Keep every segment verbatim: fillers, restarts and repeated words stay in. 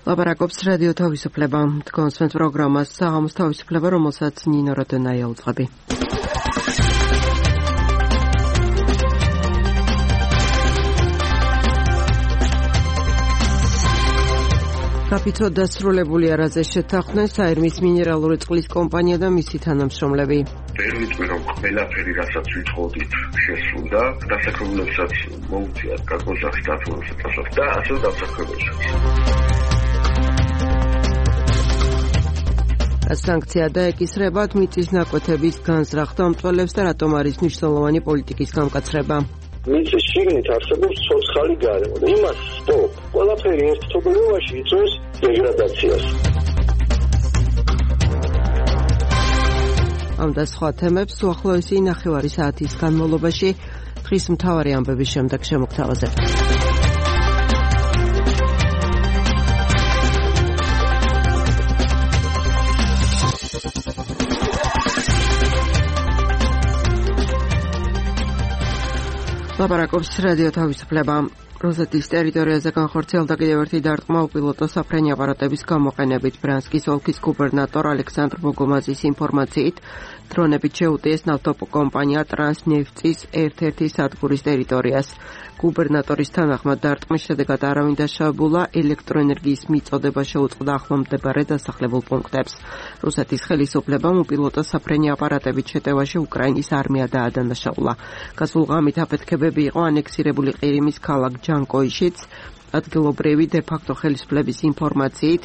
ლაპარაკობს რადიო თავისუფლება. თქვენს პროგრამას საღამოს თავისუფლება, რომელსაც ნინო როდონაია უძღვები. გაფიცო დასრულებული არაზე შეთანხმდნენ საერმის მინერალური წყლის კომპანია და მისი თანამშრომლები. პერმიტყვი რომ ყველაფერი რასაც ვითხოვდით შესრულდა, დასაქმებლებსაც მოუწიათ გაგოზახს დათვალიერებას და ასე დასაქმებლებსაც. სანქცია და ეკისრება მიწის ნაკვეთების განზრახ დამტყელებს და რატომ არის მნიშვნელოვანი პოლიტიკის გამკაცრება. მიწის შიგნით არსებობს ცოცხალი გარემო და იმას სტოპ. ყველაფერი ერთ თვეობაში იწვევს დეგრადაციას. ამ და სხვა თემებს უახლოესი ნახევარი საათის განმავლობაში დღის მთავარი ამბების შემდეგ შემოგთავაზებთ. ლაპარაკობს რადიო თავისუფლება. რუსეთის ტერიტორიაზე განხორციელდა კიდევ ერთი დარტყმა უპილოტო საფრენი აპარატების გამოყენებით. ბრიანსკის ოლქის გუბერნატორ ალექსანდრ ბოგომაზის ინფორმაციით, დრონებით შეუტიეს ნავთობკომპანია ტრანსნეფტის ერთ-ერთი სადგურის ტერიტორიას. გუბერნატორის თანახმად დარტყმის შედეგად არავინ დაშავებულა, ელექტროენერგიის მიწოდება შეუწყდა ახლომდებარე დასახლებულ პუნქტებს. რუსეთის ხელისუფლებამ უპილოტო საფრენი აპარატებით შეტევაში უკრაინის არმია დაადანაშაულა. გასულ ღამით აფეთქებები იყო ანექსირებული ყირიმის ქალაქ ჯანკოიშიც. ადგილობრივი დე-ფაქტო ხელისუფლების ინფორმაციით,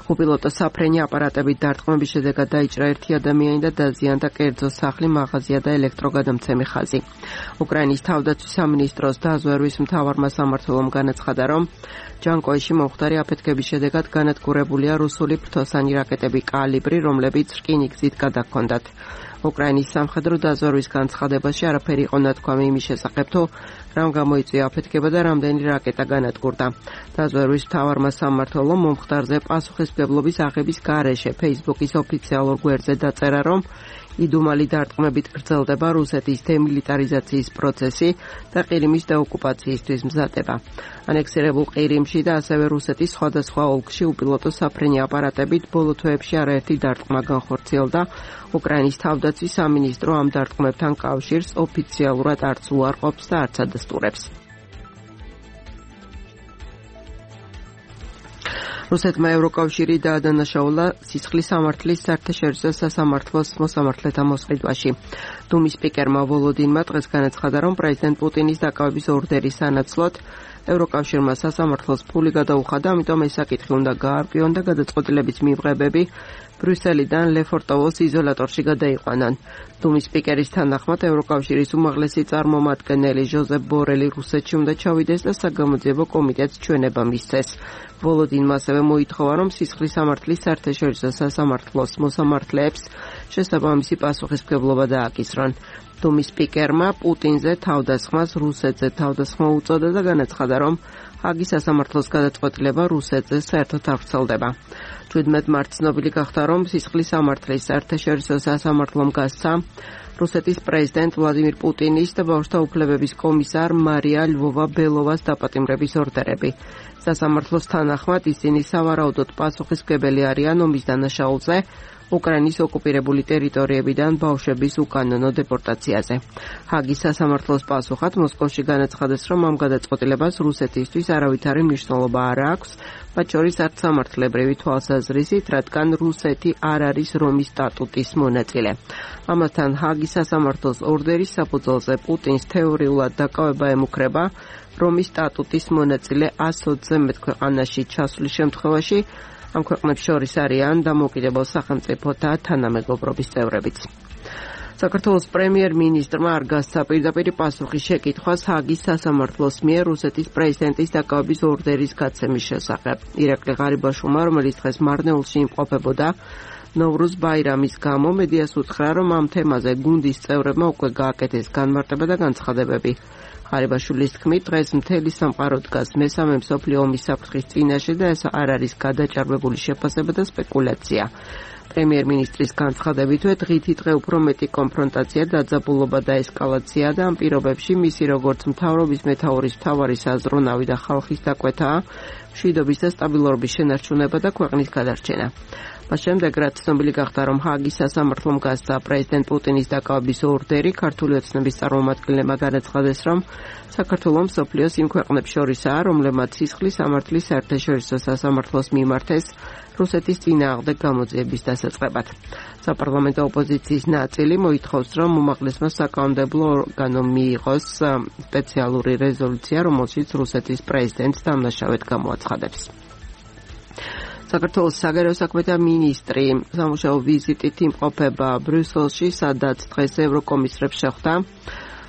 უპილოტო საფრენი აპარატებით დარტყმების შედეგად დაიჭრა ერთი ადამიანი და დაზიანდა კერძო სახლი, მაღაზია და ელექტროგადამცემი ხაზი. უკრაინის თავდაცვის სამინისტროს დაზვერვის მთავარმა სამმართველომ განაცხადა, რომ ჯანკოიში მომხდარი აფეთქების შედეგად განადგურებულია რუსული ფრთოსანი რაკეტები კალიბრი, რომლებიც რკინიგზით გადაჰქონდათ. უკრაინის სამხედრო დაზვერვის განცხადებაში არაფერი იყო ნათქვამი იმის შესახებ, თუ რამ გამოიწვია აფეთქება და რამდენი რაკეტა განადგურდა. დაზვერვის მთავარმა სამმართველომ მომხდარზე პასუხისმგებლობის აღების გარეშე Facebook-ის ოფიციალურ გვერდზე დაწერა, რომ იდუმალი დარტყმებით გრძელდება რუსეთის დემილიტარიზაციის პროცესი და ყირიმის დაოკუპაციისთვის მზადება. ანექსირებულ ყირიმში და ასევე რუსეთის სხვადასხვა ოლქში უპილოტო საფრენი აპარატებით ბოლო თვეებში არაერთი დარტყმა განხორციელდა. უკრაინის თავდაცვის სამინისტრო ამ დარტყმებთან კავშირს ოფიციალურად არც უარყოფს და არც ადასტურებს. რუსეთმა ევროკავშირი დაადანაშაულა სისხლის სამართლის საერთაშორისო სასამართლოს მოსამართლეთა მოსყიდვაში. დუმის სპიკერმა ვოლოდინმა დღეს განაცხადა, რომ პრეზიდენტ პუტინის დაკავების ორდერის სანაცვლოდ ევროკავშირმა სასამართლოს ფული გადაუხადა, ამიტომ ეს საკითხი უნდა გაარკვიონ და გადაწყვეტილების მიღებები ბრიუსელიდან ლეფორტოვოს იზოლატორში გადაიყვანან. დუმის სპიკერის თანახმად ევროკავშირის უმაღლესი წარმომადგენელი ჟოზეფ ბორელი რუსეთში უნდა ჩავიდეს და საგამოძიებო კომიტეტს ჩვენება მისცეს. ვოლოდინმა ასევე მოითხოვა, რომ სისხლის სამართლის საერთაშორისო სასამართლოს მოსამართლეებს შესაბამისი პასუხისმგებლობა დააკისრონ. დუმის სპიკერმა პუტინზე თავდასხმას რუსეთზე თავდასხმა უწოდა და განაცხადა, რომ ჰაგის სასამართლოს გადაწყვეტილება რუსეთზე საერთოდ არ ვრცელდება. შვიდმეტ მარტს ცნობილი გახდა, რომ სისხლის სამართლის საერთაშორისო სასამართლომ გასცა რუსეთის პრეზიდენტ ვლადიმირ პუტინის და ბავშვთა უფლებების კომისარ მარია ლვოვა-ბელოვას დაპატიმრების ორდერები. სასამართლოს თანახმად ისინი სავარაუდოდ პასუხისმგებელი არიან ომის დანაშაულზე, უკრაინის ოკუპირებული ტერიტორიებიდან ბავშვების უკანონო დეპორტაციაზე. ჰაგის სასამართლოს პასუხად მოსკოვში განაცხადეს, რომ ამ გადაწყვეტილებას რუსეთისთვის არავითარი მნიშვნელობა არ აქვს, მათ შორის არც სამართლებრივი თვალსაზრისით, რადგან რუსეთი არ არის რომის სტატუტის მონაწილე. ამასთან ჰაგის სასამართლოს ორდერის საფუძველზე პუტინს თეორიულად დაკავება ემუქრება რომის სტატუტის მონაწილე ას ოცზე მეტ ქვეყანაში ჩასვლის შემთხვევაში. ამ ქვეყნებს შორის არიან დამოუკიდებელ სახელმწიფოთა თანამეგობრობის წევრებიც. საქართველოს პრემიერ-მინისტრმა არ გასცა პირდაპირ პასუხი შეკითხვას ჰაგის სასამართლოს მიერ რუსეთის პრეზიდენტის დაკავების ორდერის გაცემის შესახებ. ირაკლი ღარიბაშვილმა, რომელიც დღეს მარნეულში იმყოფებოდა ნოვრუზ ბაირამის გამო, მედიას უთხრა, რომ ამ თემაზე გუნდის წევრებმა უკვე გააკეთეს განმარტება და განცხადებები. ღარიბაშვილის თქმით, დღეს მთელი სამყარო დგას მესამე მსოფლიო ომის საფრთხის წინაშე და ეს არ არის გადაჭარბებული შეფასება და სპეკულაცია. პრემიერ-მინისტრის განცხადებითვე დღითი დღე უფრო მეტი კონფრონტაცია, დაძაბულობა და ესკალაცია და ამ პირობებში მისი როგორც მთავრობის მეთაურის მთავარი საზრუნავი და ხალხის დაკვეთაა მშვიდობის და სტაბილურობის შენარჩუნება და ქვეყნის გადარჩენა. მას შემდეგ, რაც ცნობილი გახდა, რომ ჰააგის სასამართლომ გასცა პრეზიდენტ პუტინის დაკავების ორდერი, ქართული ოცნების წარმომადგენლებმა განაცხადეს, რომ საქართველო მსოფლიოს იმ ქვეყნებს შორისაა, რომლებმაც სისხლის სამართლის საერთაშორისო სასამართლოს მიმართეს რუსეთის წინააღმდეგ გამოძიების დასაწყებად. საპარლამენტო ოპოზიციის ნაწილი მოითხოვს, რომ უმაღლესმა საკანონმდებლო ორგანომ მიიღოს სპეციალური რეზოლუცია, რომელშიც რუსეთის პრეზიდენტს დამნაშავედ გამოაცხადებს. საქართველოს საგარეო საქმეთა მინისტრი სამუშაო ვიზიტით იმყოფება ბრიუსელში, სადაც დღეს ევროკომისრებს შეხვდა.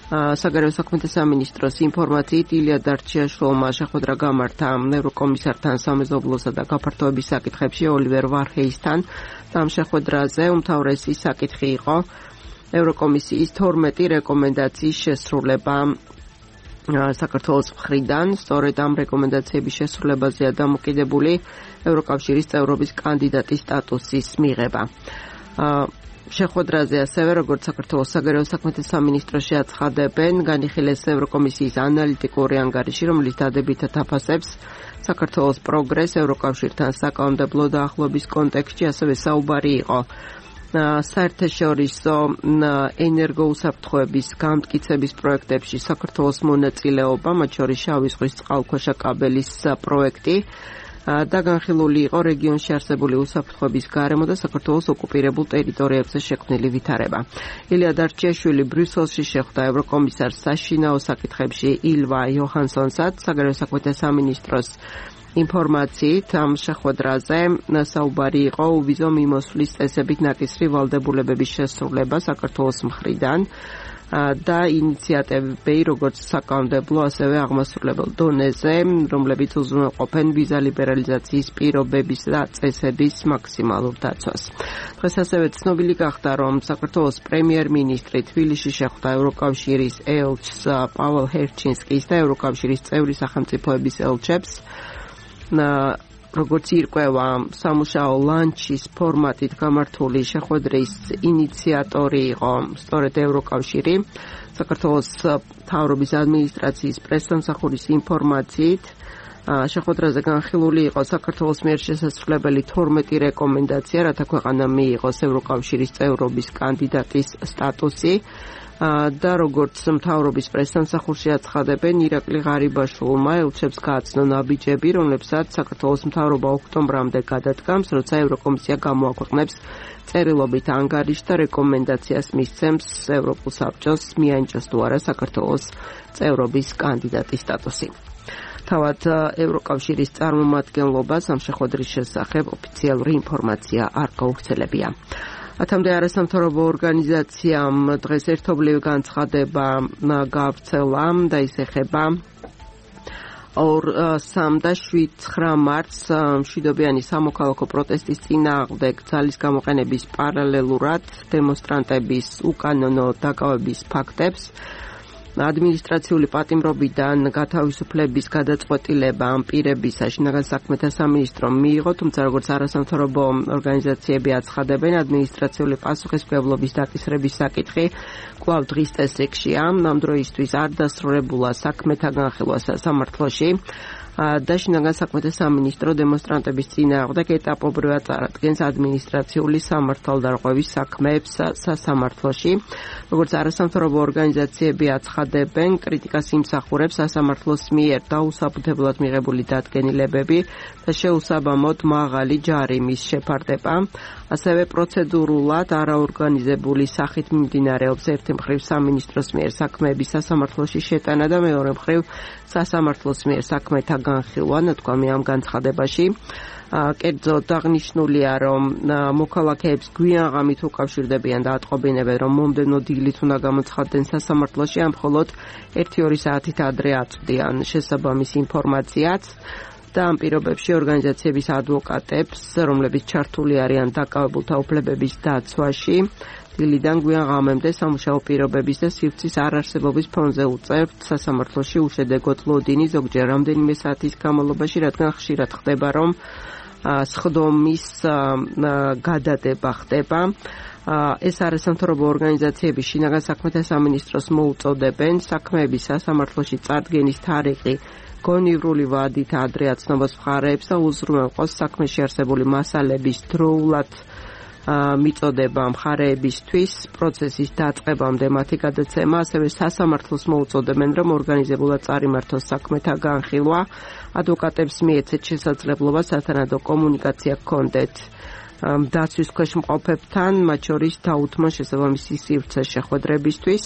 საგარეო საქმეთა სამინისტროს ინფორმაციით ილია დარჩიაშვილმა შეხვედრა გამართა ევროკომისართან სამეზობლოსა და გაფართოების საკითხებში ოლივერ ვარჰეისთან. ამ შეხვედრაზე უმთავრესი საკითხი იყო ევროკომისიის თორმეტი რეკომენდაციის შესრულება საქართველოს მხრიდან. სწორედ ამ რეკომენდაციების შესრულებაზეა დამოკიდებული ევროკავშირის წევრობის კანდიდატის სტატუსის მიღება. შეხვედრაზე ასევე, როგორც საქართველოს საგარეო საქმეთა სამინისტრო შეაცხადებენ, განიხილეს ევროკომისიის ანალიტიკური ანგარიში, რომელიც დადებითად აფასებს საქართველოს პროგრესს ევროკავშირთან საკანონმდებლო დაახლოების კონტექსტში, ასევე საუბარი იყო საერთაშორისო ენერგოუსაფრთხოების გამტკიცების პროექტებში საქართველოს მონაწილეობა, მათ შორის შავი ზღვის წყალქვეშა კაბელის პროექტი და განხილული იყო რეგიონში არსებული უსაფრთხოების გარემო და საქართველოს ოკუპირებულ ტერიტორიებზე შექმნილი ვითარება. ილია დარჩიაშვილი ბრიუსელში შეხვდა ევროკომისარს საშინაო საკითხებში ილვა იოჰანსონსაც. საგარეო საქმეთა სამინისტროს ინფორმაციით ამ შეხვედრაზე საუბარი იყო უვიზო მიმოსვლის წესებით ნაკისრი ვალდებულებების შესრულება საქართველოს მხრიდან და ინიციატივები, როგორც საკანონმდებლო, ასევე აღმასრულებელ დონეზე, რომლებიც უზრუნველყოფენ ვიზა ლიბერალიზაციის პირობების და წესების მაქსიმალურ დაცვას. დღეს ასევე ცნობილი გახდა, რომ საქართველოს პრემიერ-მინისტრი თბილისში შეხვდა ევროკავშირის ელჩს პაველ ჰერჩინსკის და ევროკავშირის წევრი სახელმწიფოების ელჩებს. როგორც ირკვევა, სამუშაო ლანჩის ფორმატით გამართული შეხვედრის ინიციატორი იყო სწორედ ევროკავშირი. საქართველოს მთავრობის ადმინისტრაციის პრესსამსახურის ინფორმაციით შეხვედრაზე განხილული იყო საქართველოს მიერ შესაძლებელი თორმეტი რეკომენდაცია, რათა ქვეყანა მიიღოს ევროკავშირის წევრობის კანდიდატის სტატუსი. და როგორც მთავრობის პრესსამსახურში აცხადებენ, ირაკლი ღარიბაშვილმა ელჩებს გააცნო ნაბიჯები, რომლებსაც საქართველოს მთავრობა ოქტომბრამდე გადადგამს, როცა ევროკომისია გამოაქვეყნებს წერილობით ანგარიშს და რეკომენდაციას მისცემს ევროპულ საბჭოს მიანიჭოს თუ არა საქართველოს წევრობის კანდიდატის სტატუსი. თავად ევროკავშირის წარმომადგენლობას ამ შეხვედრის შესახებ ოფიციალური ინფორმაცია არ გაუხსენებია. ათამდე არასამთავრობო ორგანიზაციამ დღეს ერთობლივი განცხადება გავრცელა და ის ეხება სამ და შვიდ ცხრა მარტს მშვიდობიანი სამოქალაქო პროტესტის წინააღმდეგ ძალის გამოყენების პარალელურად დემონსტრანტების უკანონო დაკავების ფაქტებს, ადმინისტრაციული პატიმრობიდან გათავისუფლების გადაწყვეტილება ამ პირებისა შინაგან საქმეთა სამინისტრომ მიიღო, თუმცა როგორც არასამთავრობო ორგანიზაციები აცხადებენ, ადმინისტრაციული პასუხისმგებლობის დაკისრების საკითხი კვლავ დღის წესრიგშია. ამ დროისთვის არ დასრულებულა საქმეთა განხილვა სასამართლოში და შინაგან საქმეთა სამინისტრო დემონსტრანტების წინააღმდეგ ეტაპობრივად წარადგენს ადმინისტრაციული სამართალდარღვევის საქმეებს სასამართლოში. როგორც არასამთავრობო ორგანიზაციები აცხადებენ, კრიტიკას იმსახურებს სასამართლოს მიერ დაუსაბუთებლად მიღებული დადგენილებები და შეუსაბამოდ მაღალი ჯარიმის შეფარდება. ასევე პროცედურულად არაორგანიზებული სახით მიმდინარეობს ერთი მხრივ სამინისტროს მიერ საქმეების სასამართლოში შეტანა და მეორე მხრივ სასამართლოს მიერ საქმეთა განხილვა, ნათქვამი ამ განცხადებაში. კერძოდ აღნიშნულია, რომ მოქალაქეებს გვიან ღამით უკავშირდებიან და ატყობინებენ, რომ მომდევნო დილით უნდა გამოცხადდნენ სასამართლოში, ან მხოლოდ ერთი-ორი საათით ადრე აწვდიან შესაბამის ინფორმაციაც. და ამ პირობებში ორგანიზაციების ადვოკატებს, რომლებიც ჩართული არიან დაკავებულთა უფლებების დაცვაში, დილიდან გვიან ღამემდე სამუშაო პირობების და სივრცის არარსებობის ფონზე უწევთ სასამართლოში უშედეგოდ ლოდინი ზოგჯერ რამდენიმე საათის განმავლობაში, რადგან ხშირად ხდება, რომ სხდომის გადადება ხდება. ეს არასამთავრობო ორგანიზაციები შინაგან საქმეთა სამინისტროს მოუწოდებენ საქმეების სასამართლოში წარდგენის თარიღი გონივრული ვადით ადრე აცნობას მხარეებს და უზრუნველყოს საქმეში არსებული მასალების დროულად მიწოდება მხარეებისთვის პროცესის დაწყებამდე მათი გადაცემა, ასევე სასამართლოს მოუწოდებენ, რომ ორგანიზებულად წარიმართოს საქმეთა განხილვა, ადვოკატებს მიეცეთ შესაძლებლობა სათანადო კომუნიკაცია ჰქონდეთ დაცვის ქვეშ მყოფებთან, მათ შორის დაუთმონ შესაბამისი სივრცე შეხვედრებისთვის.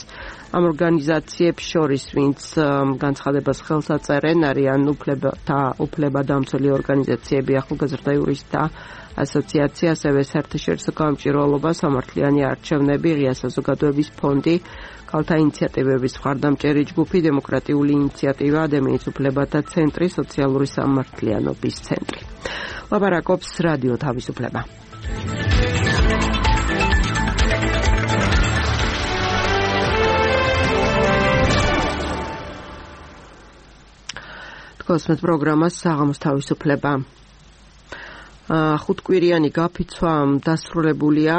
ამ ორგანიზაციებს შორის, ვინც განცხადებას ხელს აწერენ, არიან უფლებათა უფლებადამცველი ორგანიზაციები, ახალგაზრდა იურისტთა ასოციაცია, ასევე საერთაშორისო გამჭვირვალობა, სამართლიანი არჩევნები, ღია საზოგადოების ფონდი, ქალთა ინიციატივების მხარდამჭერი ჯგუფი, დემოკრატიული ინიციატივა, ადამიანის უფლებათა ცენტრი, სოციალური სამართლიანობის ცენტრი. ლაპარაკობს რადიო თავისუფლება. თქოსმეთ პროგრამას საღამოს თავისუფლება. ხუთკვირიანი გაფიცვა დასრულებულია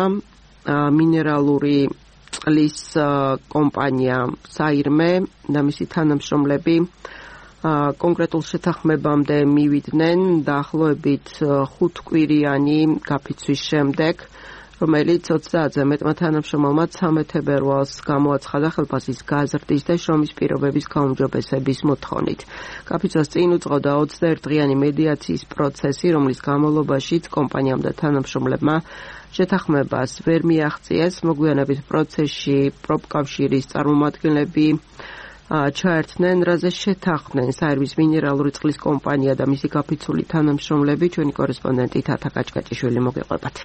მინერალური წყლის კომპანია საირმე და მისი თანამშრომლები კონკრეტულ შეთანხმებამდე მივიდნენ დაახლოებით ხუთკვირიანი გაფიცვის შემდეგ, რომელიც ოცდაათზე მეტმა თანამშრომელმა ცამეტ თებერვალს გამოაცხადა ხელფასის გაზრდის და შრომის პირობების გაუმჯობესების მოთხოვნით. გაფიცვას წინ უძღოდა ოცდაერთდღიანი მედიაციის პროცესი, რომლის განმავლობაშიც კომპანიამ და თანამშრომლებმა შეთანხმებას ვერ მიაღწიეს. მოგვიანებით პროცესში პროფკავშირის წარმომადგენლები ჩაერთნენ, რაზე შეთანხმდნენ საირმის მინერალური წყლის კომპანია და მისი გაფიცული თანამშრომლები. ჩვენი კორესპონდენტი თათა კაჭკაჭიშვილი მოგეყვებათ.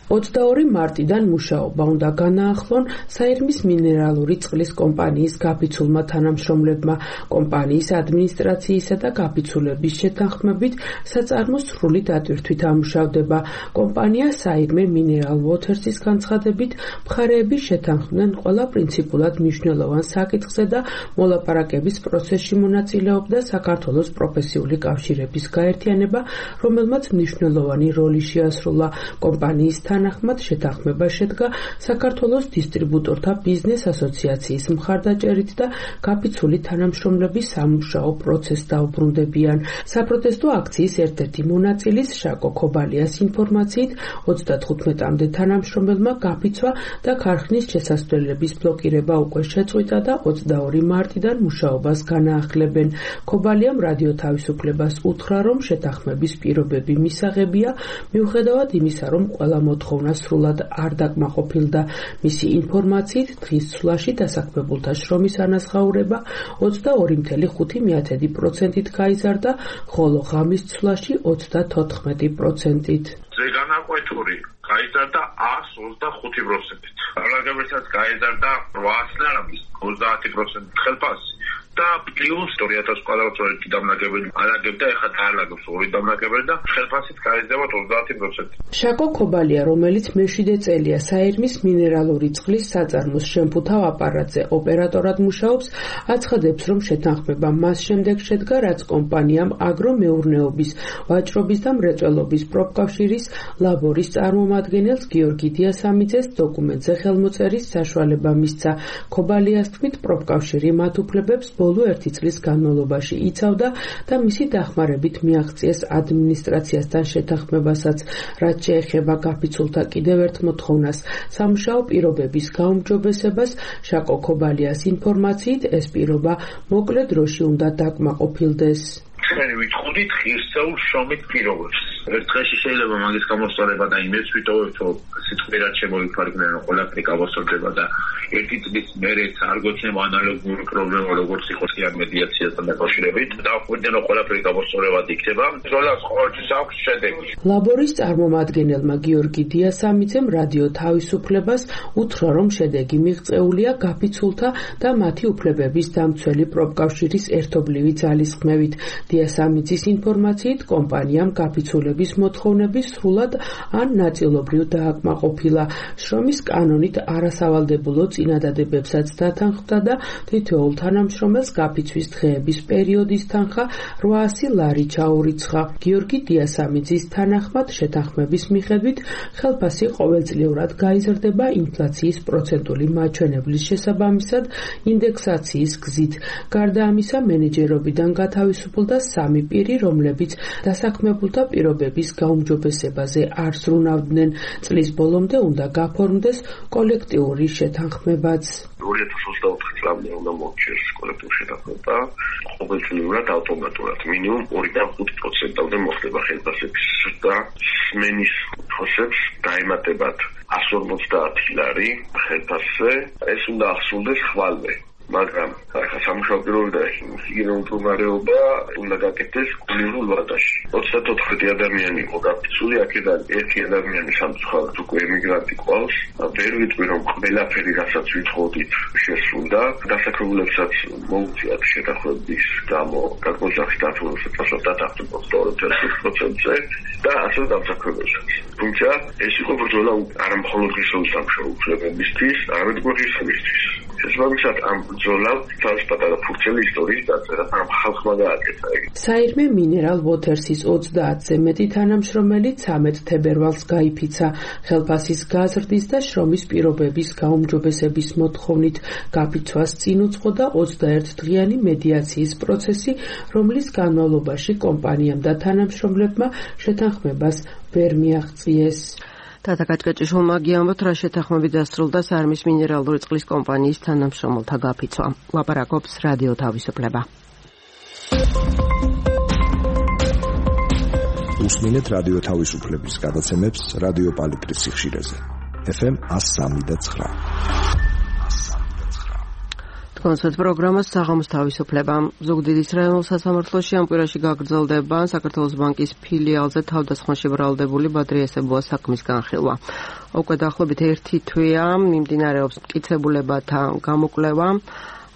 ოცდაორი მარტიდან მუშაობა უნდა განაახლონ საირმის მინერალური წყლის კომპანიის გაფიცულმა თანამშრომლებმა. კომპანიის ადმინისტრაციისა და გაფიცულების შეთანხმებით საწარმოს სრული დატვირთვით ამუშავდება. კომპანია საირმე მინერალ ვოთერსის განცხადებით მხარეები შეთანხმდნენ ყველა პრინციპულად მნიშვნელოვან საკითხზე და მოლაპარაკების პროცესში მონაწილეობდა საქართველოს პროფესიული კავშირების გაერთიანება, რომელმაც მნიშვნელოვანი როლი შეასრულა. კომპანიის თანახმად შეთანხმება შედგა საქართველოს დისტრიბუტორთა ბიზნეს ასოციაციის მხარდაჭერით და გაფიცული თანამშრომლების სამუშაო პროცესს დაუბრუნდებიან. საპროტესტო აქციის ერთ-ერთი მონაწილის შაკო ქობალიას ინფორმაციით ოცდათხუთმეტამდე თანამშრომელმა გაფიცვა და ქარხნის შესასვლელების ბლოკირება უკვე შეწყვიტა და ოცდაორი მარტიდან მუშაობას განაახლებენ. ქობალიამ რადიო თავისუფლებას უთხრა, რომ შეთანხმების პირობები მისაღებია, მიუხედავად იმისა, რომ ყველა მოთხოვნა სრულად არ დაკმაყოფილდა. მისი ინფორმაციით დღის ცვლაში დასაქმებულთა შრომის ანაზღაურება ოცდაორი ფاصლე ხუთი პროცენტით გაიზარდა, ხოლო ღამის ცვლაში ოცდათოთხმეტი პროცენტით. ზეგანაკვეთური გაიზარდა ას ოცდახუთი პროცენტით. რაგებესაც გაიზარდა რვაას ლარების ოცდაათი პროცენტით ხელფასი და პლუს ორი ათას კვადრატმეტრი დამნაგებელი ალაგებდა, ეხლა დაალაგებს ორი დამნაგებელი და ხელფასით გაიზრდება ოცდაათი პროცენტი. შაკო ქობალია, რომელიც მეშვიდე წელია საირმის მინერალური წყლის საწარმოს შემფუთავ აპარატზე ოპერატორად მუშაობს, აცხადებს, რომ შეთანხმება მას შემდეგ შედგა, რაც კომპანიამ აგრომეურნეობის, ვაჭრობის და მრეწველობის პროფკავშირის ლაბორის წარმომადგენელს გიორგი დიასამიძეს დოკუმენტზე ხელმოწერის საშუალება მისცა. ქობალიას თქმით, პროფკავშირი მათ უფლებებს ბოლო ერთი წლის განმავლობაში იცავდა და მისი დახმარებით მიაღწიეს ადმინისტრაციასთან შეთანხმებასაც, რაც შეეხება გაფიცულთა კიდევ ერთ მოთხოვნას, სამუშაო პირობების გაუმჯობესებას. შაკო ქობალიას ინფორმაციით ეს პირობა მოკლე დროში უნდა დაკმაყოფილდეს. ჩვენ ვიტყუდით ღირსეულ შრომით პირობებს. ერთ დღეში შეიძლება მაგის გამოსწორება და იმედს ვიტოვებთ, რომ სიტყვიერად შემოიფარგლენ, რომ ყველაფერი გამოსწორდება და ერთი წლის მერეც არ გვექნება ანალოგური პრობლემა, როგორც იყო სიარ მედიაციასთან დაკავშირებით. დავხვდენ, რომ ყველაფერი გამოსწორებად იქნება. ზოლას ყოველთვის აქვს შედეგი. ლაბორის წარმომადგენელმა გიორგი დიასამიძემ რადიო თავისუფლებას უთხრა, რომ შედეგი მიღწეულია გაფიცულთა და მათი უფლებების დამცველი პროფკავშირის ერთობლივი ძალისხმევით. დიასამიძის ინფორმაციით კომპანიამ გაფიცულების გაფიცულების მოთხოვნები სრულად ან ნაწილობრივ დააკმაყოფილა. შრომის კანონით არასავალდებულო წინადადებებსაც დათანხმდა და თითოეულ თანამშრომელს გაფიცვის დღეების პერიოდის თანხა რვაასი ლარი ჩაურიცხა. გიორგი დიასამიძის თანახმად შეთანხმების მიხედვით ხელფასი ყოველწლიურად გაიზრდება ინფლაციის პროცენტული მაჩვენებლის შესაბამისად ინდექსაციის გზით. გარდა ამისა, მენეჯერობიდან გათავისუფლდა სამი პირი, რომლებიც დასაქმებულთა პირობების გაუმჯობესებაზე არ ზრუნავდნენ. წლის ბოლომდე უნდა გაფორმდეს კოლექტიური შეთანხმებაც. ორი ათას ოცდაოთხი წლამდე უნდა მოჩერს კოლექტიური შეთანხმება, ყოველწლიურად ავტომატურად მინიმუმ ორიდან ხუთ პროცენტამდე მოხდება ხელფასების ზრდა. სმენის ხოსებს დაემატებათ ასი ორმოცდაათი ლარი ხელფასზე, ეს უნდა ახსოვდეს ხვალვე. მაგრამ ახლა სამუშაო პირობები და ჰიგიენური მდგომარეობა უნდა გაკეთდეს კულტურულ ვადაში. ოცდაოთხი ადამიანი იყო გაფიცული, აქედან ერთი ადამიანი სამწუხაროდ უკვე ემიგრანტი ყავს. ვერ ვიტყვი რომ ყველაფერი რასაც ვითხოვდით შესრულდა. დასაქმებულებსაც მოუწიათ შეთანხმების გამო გაგმოძახი დათვალიერებასაც დათანხმება ოცდაორი პროცენტზე და ასე დამსაქმებელსაც. თუმცა ეს იყო ბრძოლა არა მხოლოდ ღირსეული სამუშაო უფლებებისთვის, არამედ ღირსებისთვის. შესაბამისად ამ ბრძოლამ თავის პატარა ფურცელი ისტორიის დაწერა, მაგრამ ხალხმა გააკეთა ეგ. საირმე მინერალ ვოთერსის ოცდაათზე მეტი თანამშრომელი ცამეტ თებერვალს გაიფიცა. ხელფასის გაზრდის და შრომის პირობების გაუმჯობესების მოთხოვნით გაფიცვას წინ უძღოდა ოცდაერთდღიანი მედიაციის პროცესი, რომლის განმავლობაში კომპანიამ და თანამშრომლებმა შეთანხმებას ვერ მიაღწიეს. თათა კაჭკაჭიშვილმა გიამბოთ, რა შეთანხმებით დასრულდა საირმის მინერალური წყლის კომპანიის თანამშრომელთა გაფიცვა. ლაპარაკობს რადიო თავისუფლება. უსმინეთ რადიო თავისუფლების გადაცემებს რადიო პალიტრის სიხშირეზე. ეფ ემ εκατო სამი და ცხრა. კონცერტ პროგრამას საღამოს თავისუფლება. ზუგდიდის რაიონულ სასამართლოში ამ კვირაში გაგრძელდება საქართველოს ბანკის ფილიალზე თავდასხმაში ბრალდებული ბადრი ესებუას საქმის განხილვა. უკვე დაახლოებით ერთი თვეა მიმდინარეობს მტკიცებულებათა გამოკვლევა.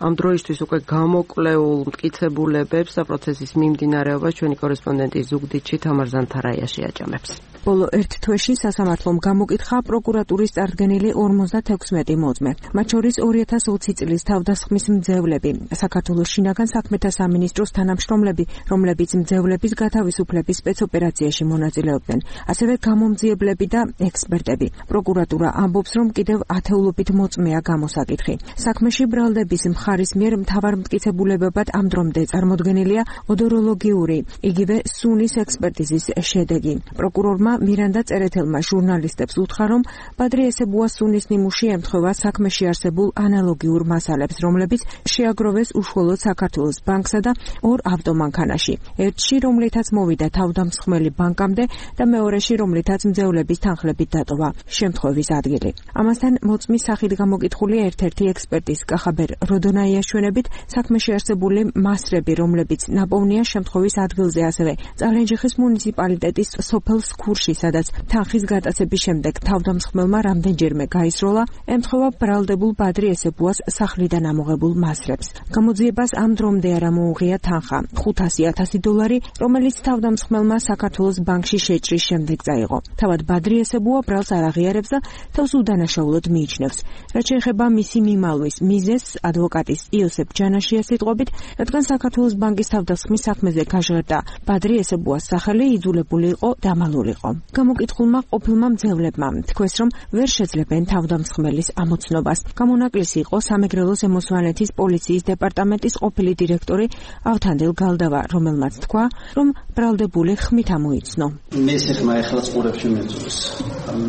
ამ დროისთვის უკვე გამოკვლეულ მტკიცებულებებს და პროცესის მიმდინარეობას ჩვენი კორესპონდენტი ზუგდიდში თამარ ზანთარაია შეაჯამებს. ბოლო ერთ თვეში სასამართლომ გამოკითხა პროკურატურის წარდგენილი ორმოცდათექვსმეტი მოწმე. მათ შორის ორი ათას ოცი წლის თავდასხმის მძევლები, საქართველოს შინაგან საქმეთა სამინისტროს თანამშრომლები, რომლებიც მძევლების გათავისუფლების სპეცოპერაციაში მონაწილეობდნენ, ასევე გამომძიებლები და ექსპერტები. პროკურატურა ამბობს, რომ კიდევ ათეულობით მოწმეა გამოსაკითხი. საქმეში ბრალდების მხარის მიერ მთავარ მტკიცებულებებად ამ დრომდე წარმოდგენილია ოდოროლოგიური, იგივე სუნის ექსპერტიზის შედეგი. პროკურორმა მირანდა წერეთელმა ჟურნალისტებს უთხრა, რომ ბადრი ესებუას სუნის ნიმუში ემთხვევა საქმეში არსებულ ანალოგიურ მასალებს, რომლებიც შეაგროვეს უშუალოდ საქართველოს ბანკსა და ორ ავტომანქანაში. ერთში, რომლითაც მოვიდა თავდამსხმელი ბანკამდე და მეორეში, რომლითაც მძევლების თანხლებით დატოვა შემთხვევის ადგილი. ამასთან მოწმის სახით გამოკითხული ერთ-ერთი ექსპერტის კახაბერ როდონაიაშვენებით საქმეში არსებული მასრები, რომლებიც ნაპოვნია შემთხვევის ადგილზე, ასევე წალენჯიხის მუნიციპალიტეტის სოფელ სქურში, სადაც თანხის გატაცების შემდეგ თავდამსხმელმა რამდენჯერმე გაისროლა, ემთხვევა ბრალდებულ ბადრი ესებუას სახლიდან ამოღებულ მასრებს. გამოძიებას ამ დრომდე არ ამოუღია თანხა ხუთასი ათასი დოლარი, რომელიც თავდამსხმელმა საქართველოს ბანკში შეჭრის შემდეგ წაიღო. თავად ბადრი ესებუა ბრალს არ აღიარებს და თავს უდანაშაულოდ მიიჩნევს. რაც შეეხება მისი მიმალვის მიზეზს, ადვოკატის იოსებ ჯანაშიას სიტყვებით, რადგან საქართველოს ბანკის თავდასხმის საქმეზე გაჟღერდა ბადრი ესებუას სახელი, იძულებული იყო დამალულიყო. გამოკითხულმა ყოფილმა მძევლებმა თქვეს, რომ ვერ შეძლებენ თავდამსხმელის ამოცნობას. გამონაკლისი იყო სამეგრელოს ემოსვანეთის პოლიციის დეპარტამენტის ყოფილი დირექტორი ავთანდილ გალდავა, რომელმაც თქვა, რომ ბრალდებული ხმით ამოიცნო. მის ხმა ეხლა წურებში მეძულს.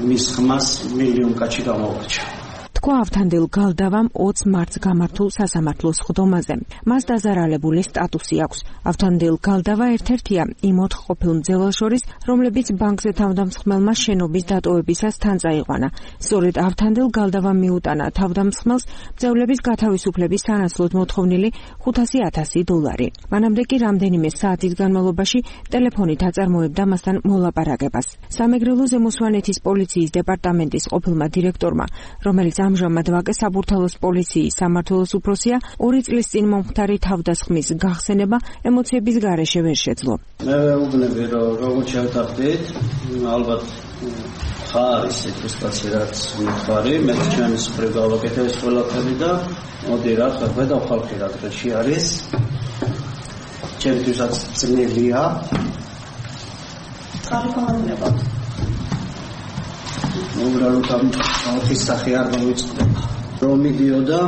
მის ხმას მილიონი კაცი გამოვარჩა. თქვა ავთანდილ გალდავამ ოცი მარტს გამართულ სასამართლოს ხდომაზე. მას დაზარალებული სტატუსი აქვს. ავთანდილ გალდავა ერთ-ერთია იმ ოთხ ყოფილ მძევლს შორის, რომლებიც ბანკზე თავდამსხმელმა შენობის დატოვებისას თან წაიყვანა. სწორედ ავთანდილ გალდავამ მიუტანა თავდამსხმელს მძევლების გათავისუფლების სანაცვლოდ მოთხოვნილი ხუთასი ათასი დოლარი. მანამდე კი რამდენიმე საათის განმავლობაში ტელეფონით აწარმოებდა მასთან მოლაპარაკებას. სამეგრელოს ემოსვანეთის პოლიციის დეპარტამენტის ყოფილმა დირექტორმა, რომელიც ამ ამჟამად ვაკე საბურთალოს პოლიციის სამმართველოს უფროსია, ორი წლის წინ მომხდარი თავდასხმის გახსენება ემოციების გარეშე ვერ შეძლო. მე ვეუბნები, რომ როგორც შევთანხმდით, ალბათ ხარის სიტუაცია რაც მიხარი, მე ჩემი სფერო გავაკეთე ეს ყველაფერი და მოდი რა ხარ და ხალხი რა დღეში არის. ჩემთვისაც ძნელია. კარგომანდება. უბრალოდ ამ ხალხის სახე არ მოვიწყდება. რომ მიდიოდა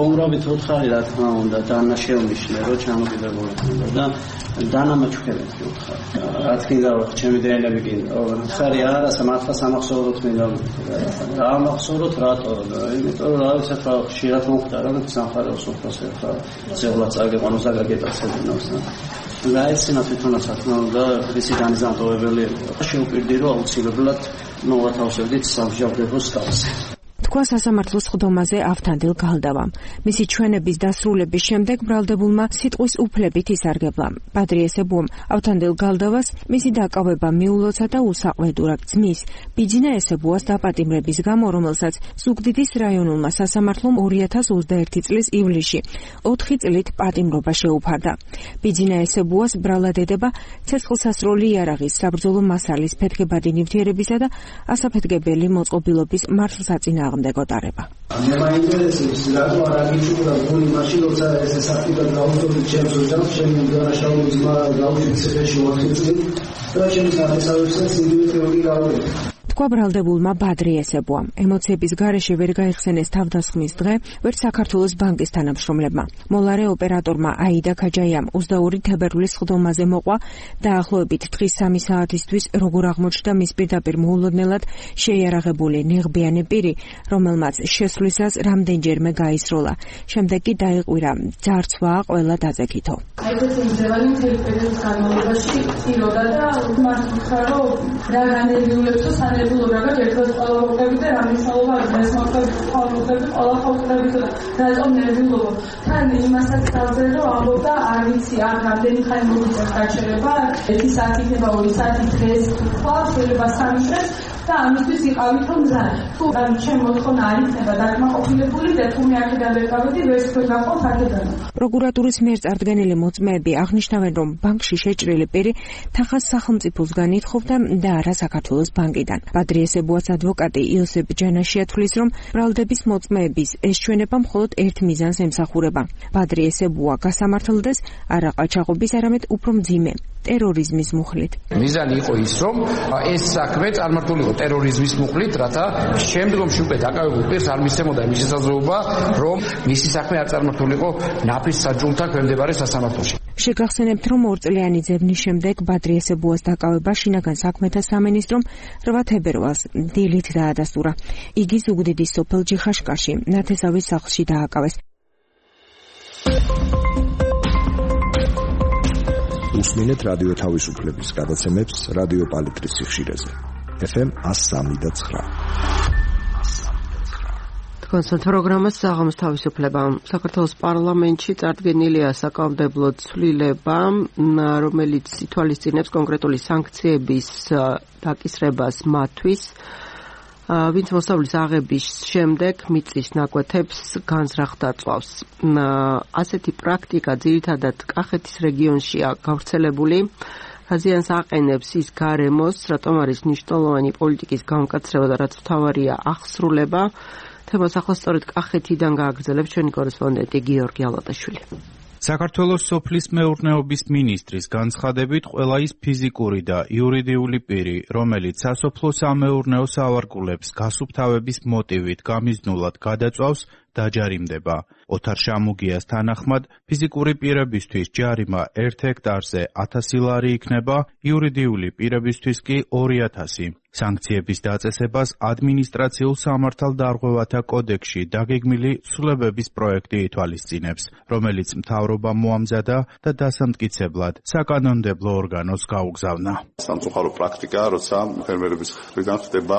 უბრალოდ უთხარი რა თქმა უნდა დანა შეუმიშნე რომ ჩამოგიდებული ხდება და დანა მაჩუქებდი უთხარი. რა თქმა უნდა ჩემი დრენები კი უთხარი არა სამართლა სამახსოვროთ მინდა რა ამახსოვროთ რატო იმიტომ რომ რა ვიცი ხა ხშირად მოხდა რომ სამხარეოს უფროსი ხა ზეღლა წაგეყანო ზაგაგეტაცებინოს და ესენა თვითონაც რა თქმა უნდა ისი განიზამთოვებელი შეუპირდი რომ აუცილებლად მოვათავსებდით სამშაბათოს კავშირს. თქვა სასამართლოს ხდომაზე ავთანდილ გალდავამ. მისი ჩვენების დასრულების შემდეგ ბრალდებულმა სიტყვის უფლებით ისარგებლა. პადრი ესებუამ ავთანდილ გალდავას მისი დაკავება მიულოცა და უსაყვედურად ძმის ბიძინა ესებუას დაპატიმრების გამო, რომელსაც ზუგდიდის რაიონულმა სასამართლომ ორი ათას ოცდაერთი წლის ივლისში ოთხი წლით პატიმრობა შეუფარდა. ბიძინა ესებუას ბრალადედება ცეცხლსასროლი იარაღის საბრძოლო მასალის ფეთქებადი ნივთიერებისა და ასაფეთქებელი მოწყობილობის მართლსაწინააღმდეგო გოტარება. მე მაინტერესებს რატო არ აგიჩუქრა გული მაშინ როცა ეს საფრთხე დაუწოვდი ჩემს ოჯახს ჩემი დანაშაული ძმა გავუშვით ციხეში ოთხი წელი და ჩემს აღესავებსაც იგივე თეორია გავუშვით. თქვა ბრალდებულმა ბადრი ესებუამ. ემოციების გარეშე ვერ გაიხსენეს თავდასხმის დღე, ვერ საქართველოს ბანკის თანამშრომლებმა. მოლარე ოპერატორმა აიდა ქაჯაიამ ოცდაორი თებერვლის ხდომაზე მოყვა დაახლოებით დღის სამი საათისთვის როგორ აღმოჩნდა მის პირდაპირ მოულოდნელად შეიარაღებული ნიღბიანი პირი, რომელმაც შესვლისას რამდენჯერმე გაისროლა. შემდეგ კი დაიყვირა ძარცვა ყველა დაძეკითო. აი ეს ძევალი მთელი პერიოდის განმავლობაში წილოდა და მართლა რომ რა განერგიულებსო სანერგულო რაღაც ერთად ყოლავები და რამისაობა ეს მოხდა ყოლავები ყოლავები და რატომ ნერგულობა თან იმასაც დავზე რომ ამბობდა არ ვიცი არ რამდენი ხანი მოგიწევს გაჩერება ერთი საათი იქნება ორი საათი დღეს თქვა შეიძლება სამი დღეს და ამისთვის იყავით რომ მზად თუ ამ ჩემ მოთხოვნა არ იქნება დაკმაყოფილებული და თუ მე აქედან ვერ გავედი ვერც თქვენ გაყავთ აქედან. პროკურატურის მიერ წარდგენილი მოწმეები აღნიშნავენ, რომ ბანკში შეჭრილი პირი თანხას სახელმწიფოსგან ითხოვდა და არა საქართველოს ბანკიდან. პადრი ესებუას ადვოკატი იოსებ ჯანაშია თვლის, რომ ბრალდების მოწმეების ეს ჩვენება მხოლოდ ერთ მიზანს ემსახურება. პადრი ესებუა გასამართლდეს არა ყაჩაღობის, არამედ უფრო მძიმე ტერორიზმის მუხლით. მიზანი იყო ის, რომ ეს საქმე წარმართულიყო ტერორიზმის მუხლით, რათა შემდგომში უკვე დაკავებულ პირს არ მისცემოდა იმის შესაძლებლობა, რომ მისი საქმე არ წარმართულიყო ნაფის საჯულთან ქვემდებარე სასამართლოში. შეგახსენებთ, რომ ორწლიანი ძებნის შემდეგ ბადრი ესებუას დაკავება შინაგან საქმეთა სამინისტრომ რვა თებერვალს დილით დაადასტურა. იგი ზუგდიდის სოფელ ჯიხაშკარში ნათესავის სახლში დააკავეს. უსმინეთ რადიო თავისუფლების გადაცემებს რადიო პალიტრის სიხშირეზე. ეფ ემ ას სამი და ცხრა. თქვენს პროგრამას საღამოს თავისუფლება. საქართველოს პარლამენტში წარდგენილია საკანონმდებლო ცვლილება, რომელიც ითვალისწინებს კონკრეტული სანქციების დაკისრებას მათთვის, ვინც მოსავლის აღების შემდეგ მიწის ნაკვეთებს განზრახ დაწვავს. ასეთი პრაქტიკა ძირითადად კახეთის რეგიონშია გავრცელებული. აზიანს აყენებს ის გარემოს, რატომ არის მნიშვნელოვანი პოლიტიკის განკაცრება და რაც მთავარია აღსრულება. თემას ახლა სწორედ კახეთიდან გააგრძელებს ჩვენი კორესპონდენტი გიორგი ალატაშვილი. საქართველოს სოფლის მეურნეობის მინისტრის განცხადებით, ყველა ის ფიზიკური და იურიდიული პირი, რომელიც სასოფლო-სამეურნეო სავარგულებს გასუფთავების მოტივით გამიზნულად გადაწვავს, დაჯარიმდება. ოთარ შამუგიას თანახმად, ფიზიკური პირებისთვის ჯარიმა ერთ ჰექტარზე ათასი ლარი იქნება, იურიდიული პირებისთვის კი ორი ათასი. სანქციების დაწესებას ადმინისტრაციულ სამართალდარღვევათა კოდექსში დაგეგმილი ცვლილებების პროექტი ითვალისწინებს, რომელიც მთავრობამ მოამზადა და დასამტკიცებლად საკანონმდებლო ორგანოს გაუგზავნა. სამწუხარო პრაქტიკაა, როცა ფერმერების მხრიდან ხდება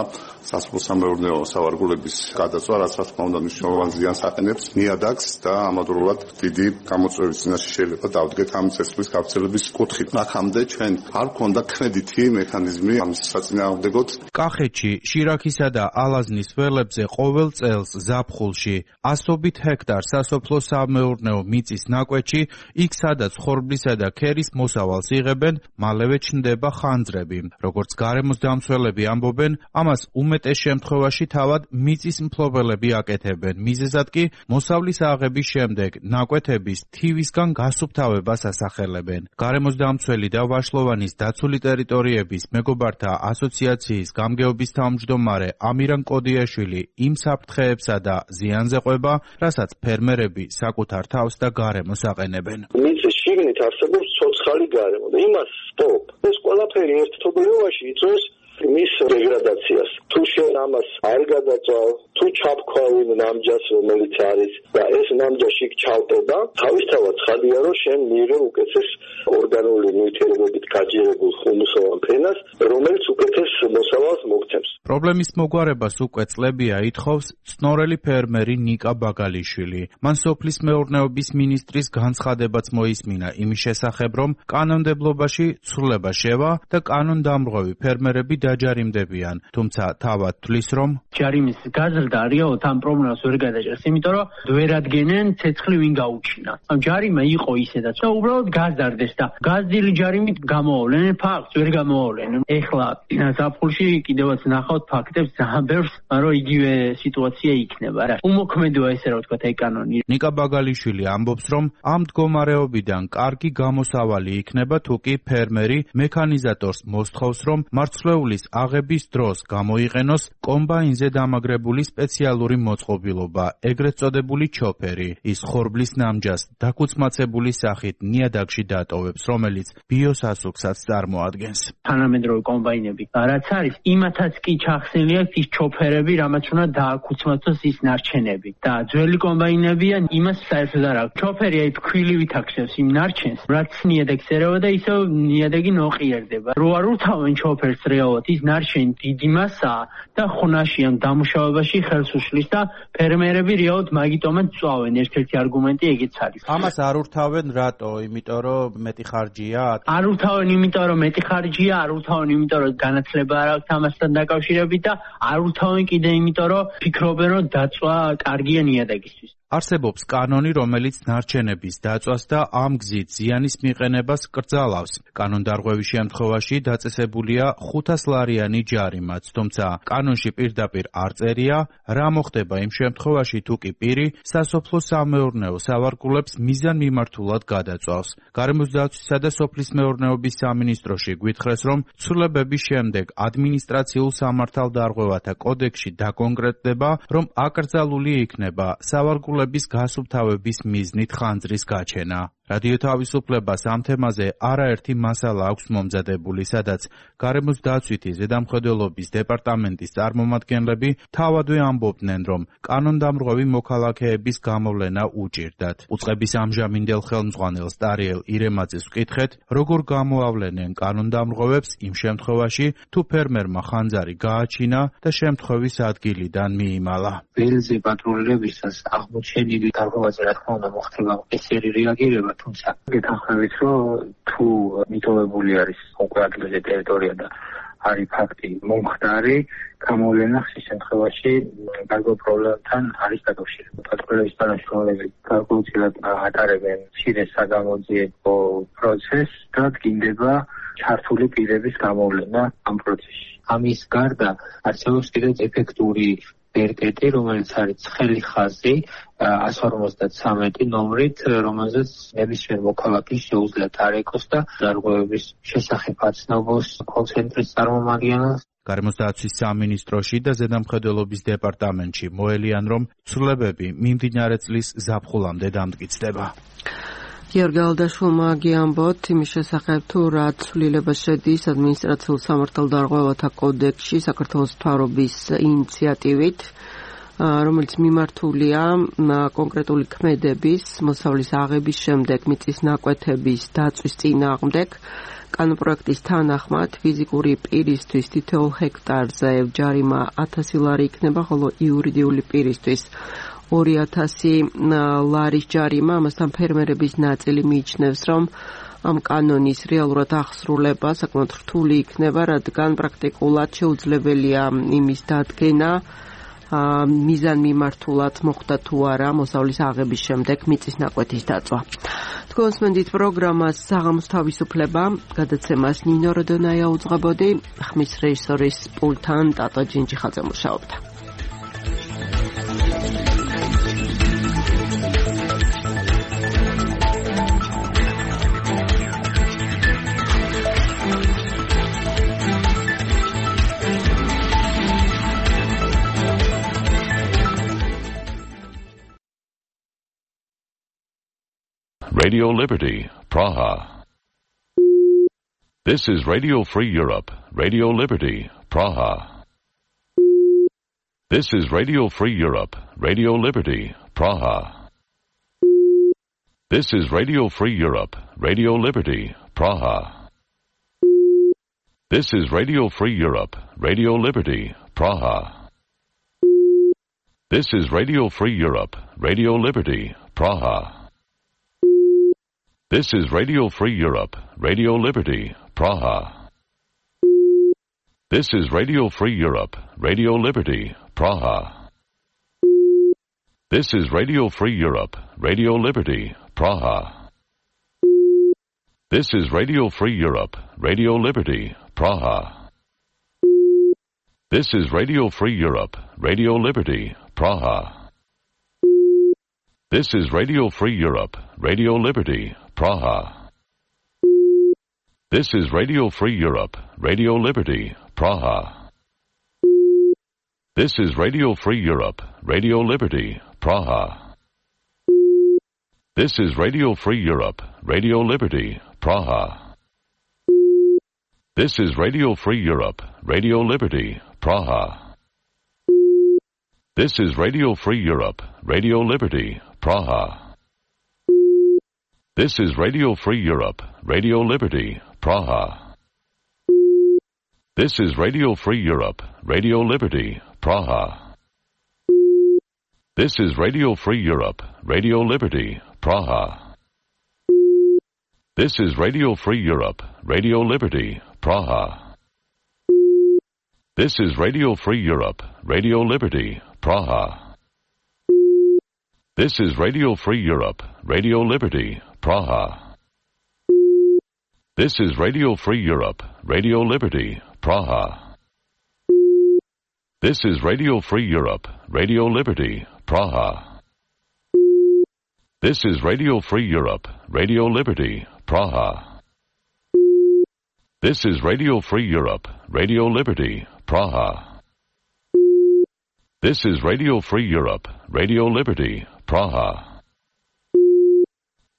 სასოფლო-სამეურნეო სავარგულების გადაწვა, რაც რა თქმა უნდა მნიშვნელოვანი ზიანს აყენებს ნიადაგს და ამავდროულად დიდი გამოწვევის წინაშე შეიძლება დავდგეთ ამ წესრიგის გავრცელების კუთხით. აქამდე ჩვენ არ გვქონდა კრედიტი მექანიზმი ამის საწინააღმდეგოდ. კახეთში, შირაქისა და ალაზნის ველებზე ყოველ წელს ზაფხულში ასობით ჰექტარ სასოფლო-სამეურნეო მიწის ნაკვეთში, იქ სადაც ხორბლისა და ქერის მოსავალს იღებენ, მალევე ჩნდება ხანძრები. როგორც გარემოს დამცველები ამბობენ, ამას უმეტეს შემთხვევაში თავად მიწის მფლობელები აკეთებენ. მიზეზად კი მოსავლის აღების შემდეგ ნაკვეთების თივისგან გასუფთავებას ასახელებენ. გარემოს დამცველი და ვაშლოვანის დაცული ტერიტორიების მეგობართა ასოციაციის გამგეობის თავმჯდომარე ამირან კოდიაშვილი იმ საფრთხეებსა და ზიანზე ყვება, რასაც ფერმერები საკუთარ თავს და გარემოს აყენებენ. მიწის შიგნით არსებობს ცოცხალი გარემო და იმას სტოპ. ეს ყველაფერი ერთ თობლიობაში იწვევს მის დეგრადაციას. თუ შენ ამას არ გადაწვავ, თუ ჩაფქვავინ ნამჯას, რომელიც არის და ეს ნამჯაში ჩავტება, თავისთავად ცხადია, რომ შენ მიიღე უკეთეს ორგანული ნივთიერებებით გაჯერებულ ხუმსოვან ფენას, რომელიც უკეთეს მოსავალს მოგცემს. პრობლემის მოგვარებას უკვე წლებია ითხოვს წნორელი ფერმერი ნიკა ბაგალიშვილი. მან სოფლის მეურნეობის მინისტრის განცხადებაც მოისმინა იმის შესახებ, რომ კანონმდებლობაში ცვლილება შევა და კანონდამრღვევი ფერმერები დაჯარიმდებიან, თუმცა თავად თვლის, რომ ჯარიმის გაზრდა რეალურად ამ პრობლემას ვერ გადაჭერს, იმიტომ რომ ვერ ადგენენ ცეცხლი ვინ გაუჩინა. ამ ჯარიმა იყო ისედაც და უბრალოდ გაზარდეს და გაზრდილი ჯარიმით გამოავლენენ, ფაქტს ვერ გამოავლენენ. ეხლა ზაფხულში კიდევაც ნახავთ ფაქტებს ძალიან ბევრს, რომ იგივე სიტუაცია იქნება რა. უმოქმედოა ესე რა ვთქვათ აი კანონი. ნიკა ბაგალიშვილი ამბობს, რომ ამ მდგომარეობიდან კარგი გამოსავალი იქნება, თუ კი ფერმერი მექანიზატორს მოსთხოვს, რომ მარცვლეულის აღების დროს გამოიყენოს კომბაინზე დამაგრებული სპეციალური მოწყობილობა, ეგრეთ წოდებული ჩოფერი. ის ხორბლის ნამჯას დაკუცმაცებული სახით ნიადაგში დატოვებს, რომელიც ბიოსასუქსაც წარმოადგენს. თანამედროვე კომბაინები რაც არის, იმათაც კი ჩახსნილი აქვს ის ჩოფერები, რამაც უნდა დააკუცმაცოს ის ნარჩენები. და ძველი კომბაინებია იმას საერთოდ არ აქვს. ჩოფერი აი ფქვილივით აქცევს იმ ნარჩენს, რაც ნიადაგს ერევა და ისევ ნიადაგი ნოყიერდება. რო არ უთავენ ჩოფერს რეალურად ის ნარჩენი დიდი მასაა და ხუნაში ან დამუშავებაში ხელს უშლის და ფერმერები რეალურად მაგიტომაც წვავენ. ერთ-ერთი არგუმენტი ეგეც არის. ამას არ ურთავენ რატო? იმიტომ რომ მეტი ხარჯია? არ ურთავენ იმიტომ რომ მეტი ხარჯია, არ ურთავენ იმიტომ რომ განათლება არ აქვს ამასთან დაკავშირებით და არ ურთავენ კიდე იმიტომ რომ ფიქრობენ რომ დაწვა კარგია ნიადაგისთვის. არსებობს კანონი, რომელიც ნარჩენების დაწვას და ამ გზით ზიანის მიყენებას კრძალავს. კანონდარღვევის შემთხვევაში დაწესებულია ხუთას ლარიანი ჯარიმაც, თუმცა კანონში პირდაპირ არ წერია, რა მოხდება იმ შემთხვევაში, თუ კი პირი სასოფლო-სამეურნეო სავარგულებს მიზანმიმართულად გადაწვავს. გარემოს დაცვისა და სოფლის მეურნეობის სამინისტროში გვითხრეს, რომ ცვლილებების შემდეგ ადმინისტრაციულ სამართალდარღვევათა კოდექსში დაკონკრეტდება, რომ აკრძალული იქნება სავარგულების გასუფთავების მიზნით ხანძრის გაჩენა. რადიო თავისუფლებას ამ თემაზე არაერთი მასალა აქვს მომზადებული, სადაც გარემოს დაცვითი ზედამხედველობის დეპარტამენტის წარმომადგენლები თავადვე ამბობდნენ, რომ კანონდამრღვევი მოქალაქეების გამოვლენა უჭირდათ. უწყების ამჟამინდელ ხელმძღვანელს ტარიელ ირემაძეს ვკითხეთ, როგორ გამოავლენენ კანონდამრღვევებს იმ შემთხვევაში, თუ ფერმერმა ხანძარი გააჩინა და შემთხვევის ადგილიდან მიიმალა. ველზე პატრულირებისას აღმოჩენილი დარღვევაზე რა თქმა უნდა მოხდება ესერი რეაგირება, თუმცა გეთანხმებით, რომ თუ მიტოვებული არის უკვე ადგილზე ტერიტორია და არის ფაქტი მომხდარი, გამოვლენა ხის შემთხვევაში გარკვეულ პრობლემთან არის დაკავშირებული. პატრულების თანამშრომლები გარკვეულწილად ატარებენ მცირე საგამოძიებო პროცესს და დგინდება ჩართული პირების გამოვლენა ამ პროცესში. ამის გარდა არსებობს კიდევ ეფექტური ბერკეტი, რომელიც არის ცხელი ხაზი εκατს ორმოცდათვრამეტი ნომრით, რომელზეც ნებისმიერ მოქალაქეს შეუძლია დარეკოს და დარღვევების შესახებ აცნობს კონცენტრის წარმომადგენელს. გარემოს დაცვის სამინისტროში და ზედამხედველობის დეპარტამენტში მოელიან, რომ ცვლილებები მიმდინარე წლის ზაფხულამდე დამტკიცდება. გიორგი ალდაშვილმა გიამბოთ იმის შესახებ, თუ რა ცვლილება შედის ადმინისტრაციულ სამართალდარღვევათა კოდექსში საქართველოს მთავრობის ინიციატივით, რომელიც მიმართულია კონკრეტული ქმედების, მოსავლის აღების შემდეგ მიწის ნაკვეთების დაწვის წინააღმდეგ. კანონპროექტის თანახმად ფიზიკური პირისთვის თითოეულ ჰექტარზე ჯარიმა ათასი ლარი იქნება, ხოლო იურიდიული პირისთვის ორი ათასი ლარის ჯარიმა, ამასთან ფერმერების ნაწილი მიიჩნევს, რომ ამ კანონის რეალურად აღსრულება საკმაოდ რთული იქნება, რადგან პრაქტიკულად შეუძლებელია იმის დადგენა, მიზანმიმართულად მოხდა თუ არა მოსავლის აღების შემდეგ მიწის ნაკვეთის დაწვა. თქვენს მენდით პროგრამას საღამოს თავისუფლება, გადაცემას ნინო როდონაია უძღვებოდი, ხმის რეჟისორის პულტთან ტატო ჯინჯიხაძე მუშაობდა. Radio Liberty, Praha. This is Radio Free Europe, Radio Liberty, Praha. This is Radio Free Europe, Radio Liberty, Praha. This is Radio Free Europe, Radio Liberty, Praha. This is Radio Free Europe, Radio Liberty, Praha. This is Radio Free Europe, Radio Liberty, Praha. This is Radio Free Europe, Radio Liberty, Praha. This is Radio Free Europe, Radio Liberty, Praha. This is Radio Free Europe, Radio Liberty, Praha. This is Radio Free Europe, Radio Liberty, Praha. This is Radio Free Europe, Radio Liberty, Praha. This is Radio Free Europe, Radio Liberty, Praha. This is Radio Free Europe, Radio Liberty, Praha. This is Radio Free Europe, Radio Liberty, Praha. This is Radio Free Europe, Radio Liberty, Praha. This is Radio Free Europe, Radio Liberty, Praha. This is Radio Free Europe, Radio Liberty, Praha. This is Radio Free Europe, Radio Liberty, Praha. This is Radio Free Europe, Radio Liberty, Praha. This is Radio Free Europe, Radio Liberty, Praha. This is Radio Free Europe, Radio Liberty, Praha. This is Radio Free Europe, Radio Liberty, Praha. This is Radio Free Europe, Radio Liberty, Praha. This is Radio Free Europe, Radio Liberty, Praha. This is Radio Free Europe, Radio Liberty, Praha. This is Radio Free Europe, Radio Liberty, Praha. This is Radio Free Europe, Radio Liberty, Praha. This is Radio Free Europe, Radio Liberty, Praha.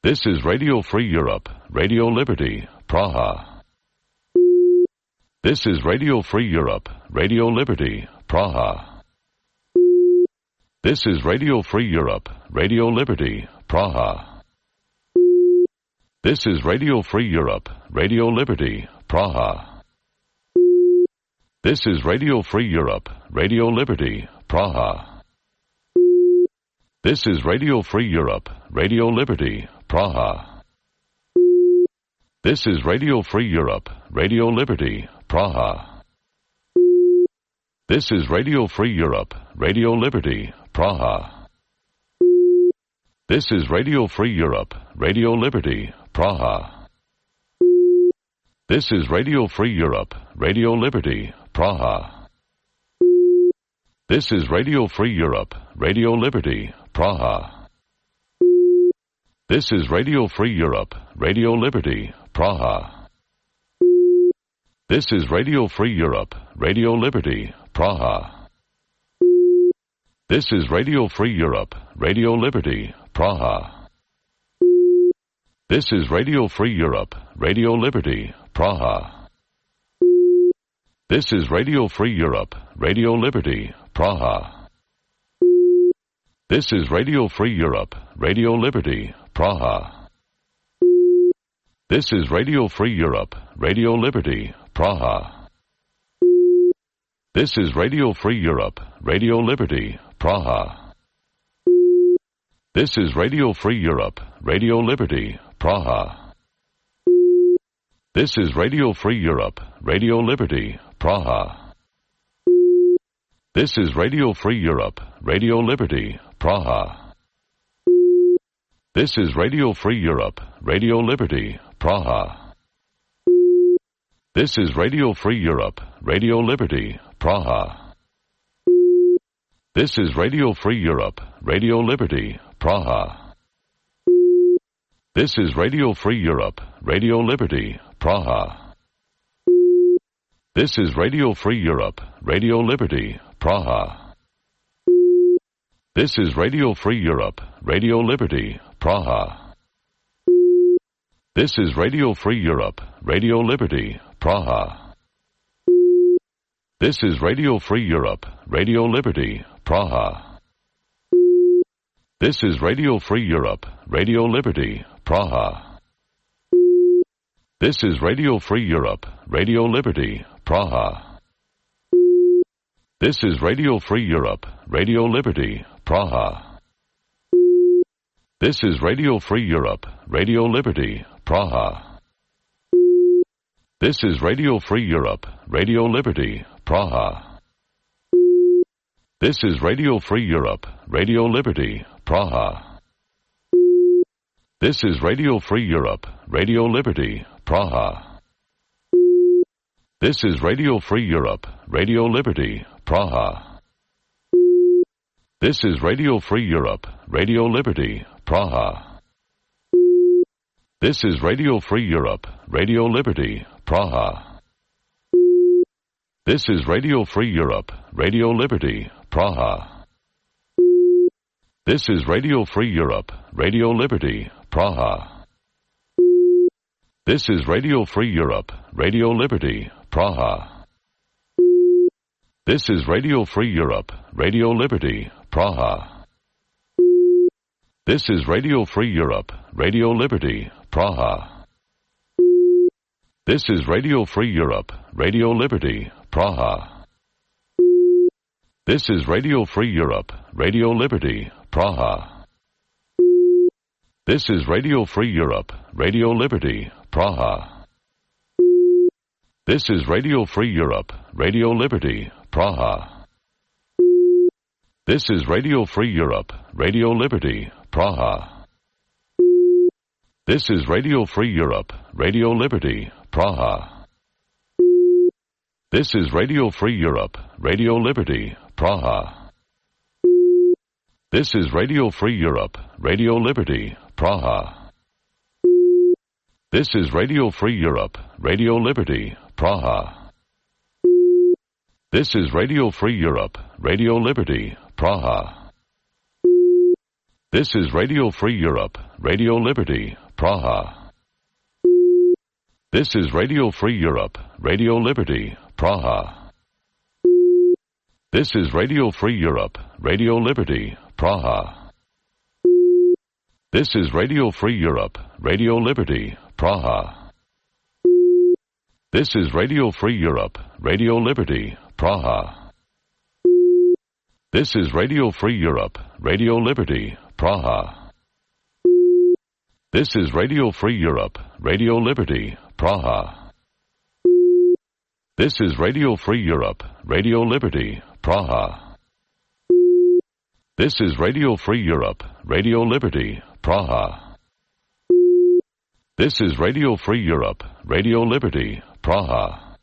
This is Radio Free Europe, Radio Liberty, Praha. This is Radio Free Europe, Radio Liberty, Praha. This is Radio Free Europe, Radio Liberty, Praha. This is Radio Free Europe, Radio Liberty, Praha. This is Radio Free Europe, Radio Liberty, Praha. This is Radio Free Europe, Radio Liberty, Praha. This is Radio Free Europe, Radio Liberty, Praha. This is Radio Free Europe, Radio Liberty, Praha. This is Radio Free Europe, Radio Liberty, Praha. This is Radio Free Europe, Radio Liberty, Praha. This is Radio Free Europe, Radio Liberty, Praha. This is Radio Free Europe, Radio Liberty, Praha. This is Radio Free Europe, Radio Liberty, Praha. This is Radio Free Europe, Radio Liberty, Praha. This is Radio Free Europe, Radio Liberty, Praha. This is Radio Free Europe, Radio Liberty, Praha. This is Radio Free Europe, Radio Liberty, Praha. This is Radio Free Europe, Radio Liberty, Praha. This is Radio Free Europe, Radio Liberty, Praha. This is Radio Free Europe, Radio Liberty, Praha. This is Radio Free Europe, Radio Liberty, Praha. This is Radio Free Europe, Radio Liberty, Praha. This is Radio Free Europe, Radio Liberty, Praha. This is Radio Free Europe, Radio Liberty, Praha. This is Radio Free Europe, Radio Liberty, Praha. This is Radio Free Europe, Radio Liberty, Praha. This is Radio Free Europe, Radio Liberty, Praha. This is Radio Free Europe, Radio Liberty, Praha. This is Radio Free Europe, Radio Liberty, Praha. This is Radio Free Europe, Radio Liberty, Praha. This is Radio Free Europe, Radio Liberty, Praha. This is Radio Free Europe, Radio Liberty, Praha. This is Radio Free Europe, Radio Liberty, Praha. This is Radio Free Europe, Radio Liberty, Praha. This is Radio Free Europe, Radio Liberty, Praha. This is Radio Free Europe, Radio Liberty, Praha. This is Radio Free Europe, Radio Liberty, Praha. This is Radio Free Europe, Radio Liberty, Praha. This is Radio Free Europe, Radio Liberty, Praha. This is Radio Free Europe, Radio Liberty, Praha. This is Radio Free Europe, Radio Liberty, Praha. This is Radio Free Europe, Radio Liberty, Praha. This is Radio Free Europe, Radio Liberty, Praha. This is Radio Free Europe, Radio Liberty, Praha. This is Radio Free Europe, Radio Liberty, Praha. This is Radio Free Europe, Radio Liberty, Praha. This is Radio Free Europe, Radio Liberty, Praha. This is Radio Free Europe, Radio Liberty, Praha. This is Radio Free Europe, Radio Liberty, Praha. This is Radio Free Europe, Radio Liberty, Praha. This is Radio Free Europe, Radio Liberty, Praha. This is Radio Free Europe, Radio Liberty, Praha. This is Radio Free Europe, Radio Liberty, Praha. This is Radio Free Europe, Radio Liberty, Praha. This is Radio Free Europe, Radio Liberty, Praha. This is Radio Free Europe, Radio Liberty, Praha. This is Radio Free Europe, Radio Liberty, Praha. This is Radio Free Europe, Radio Liberty, Praha. This is Radio Free Europe, Radio Liberty, Praha. This is Radio Free Europe, Radio Liberty, Praha. This is Radio Free Europe, Radio Liberty, Praha. This is Radio Free Europe, Radio Liberty, Praha. This is Radio Free Europe, Radio Liberty, Praha. This is Radio Free Europe, Radio Liberty, Praha. This is Radio Free Europe, Radio Liberty, Praha.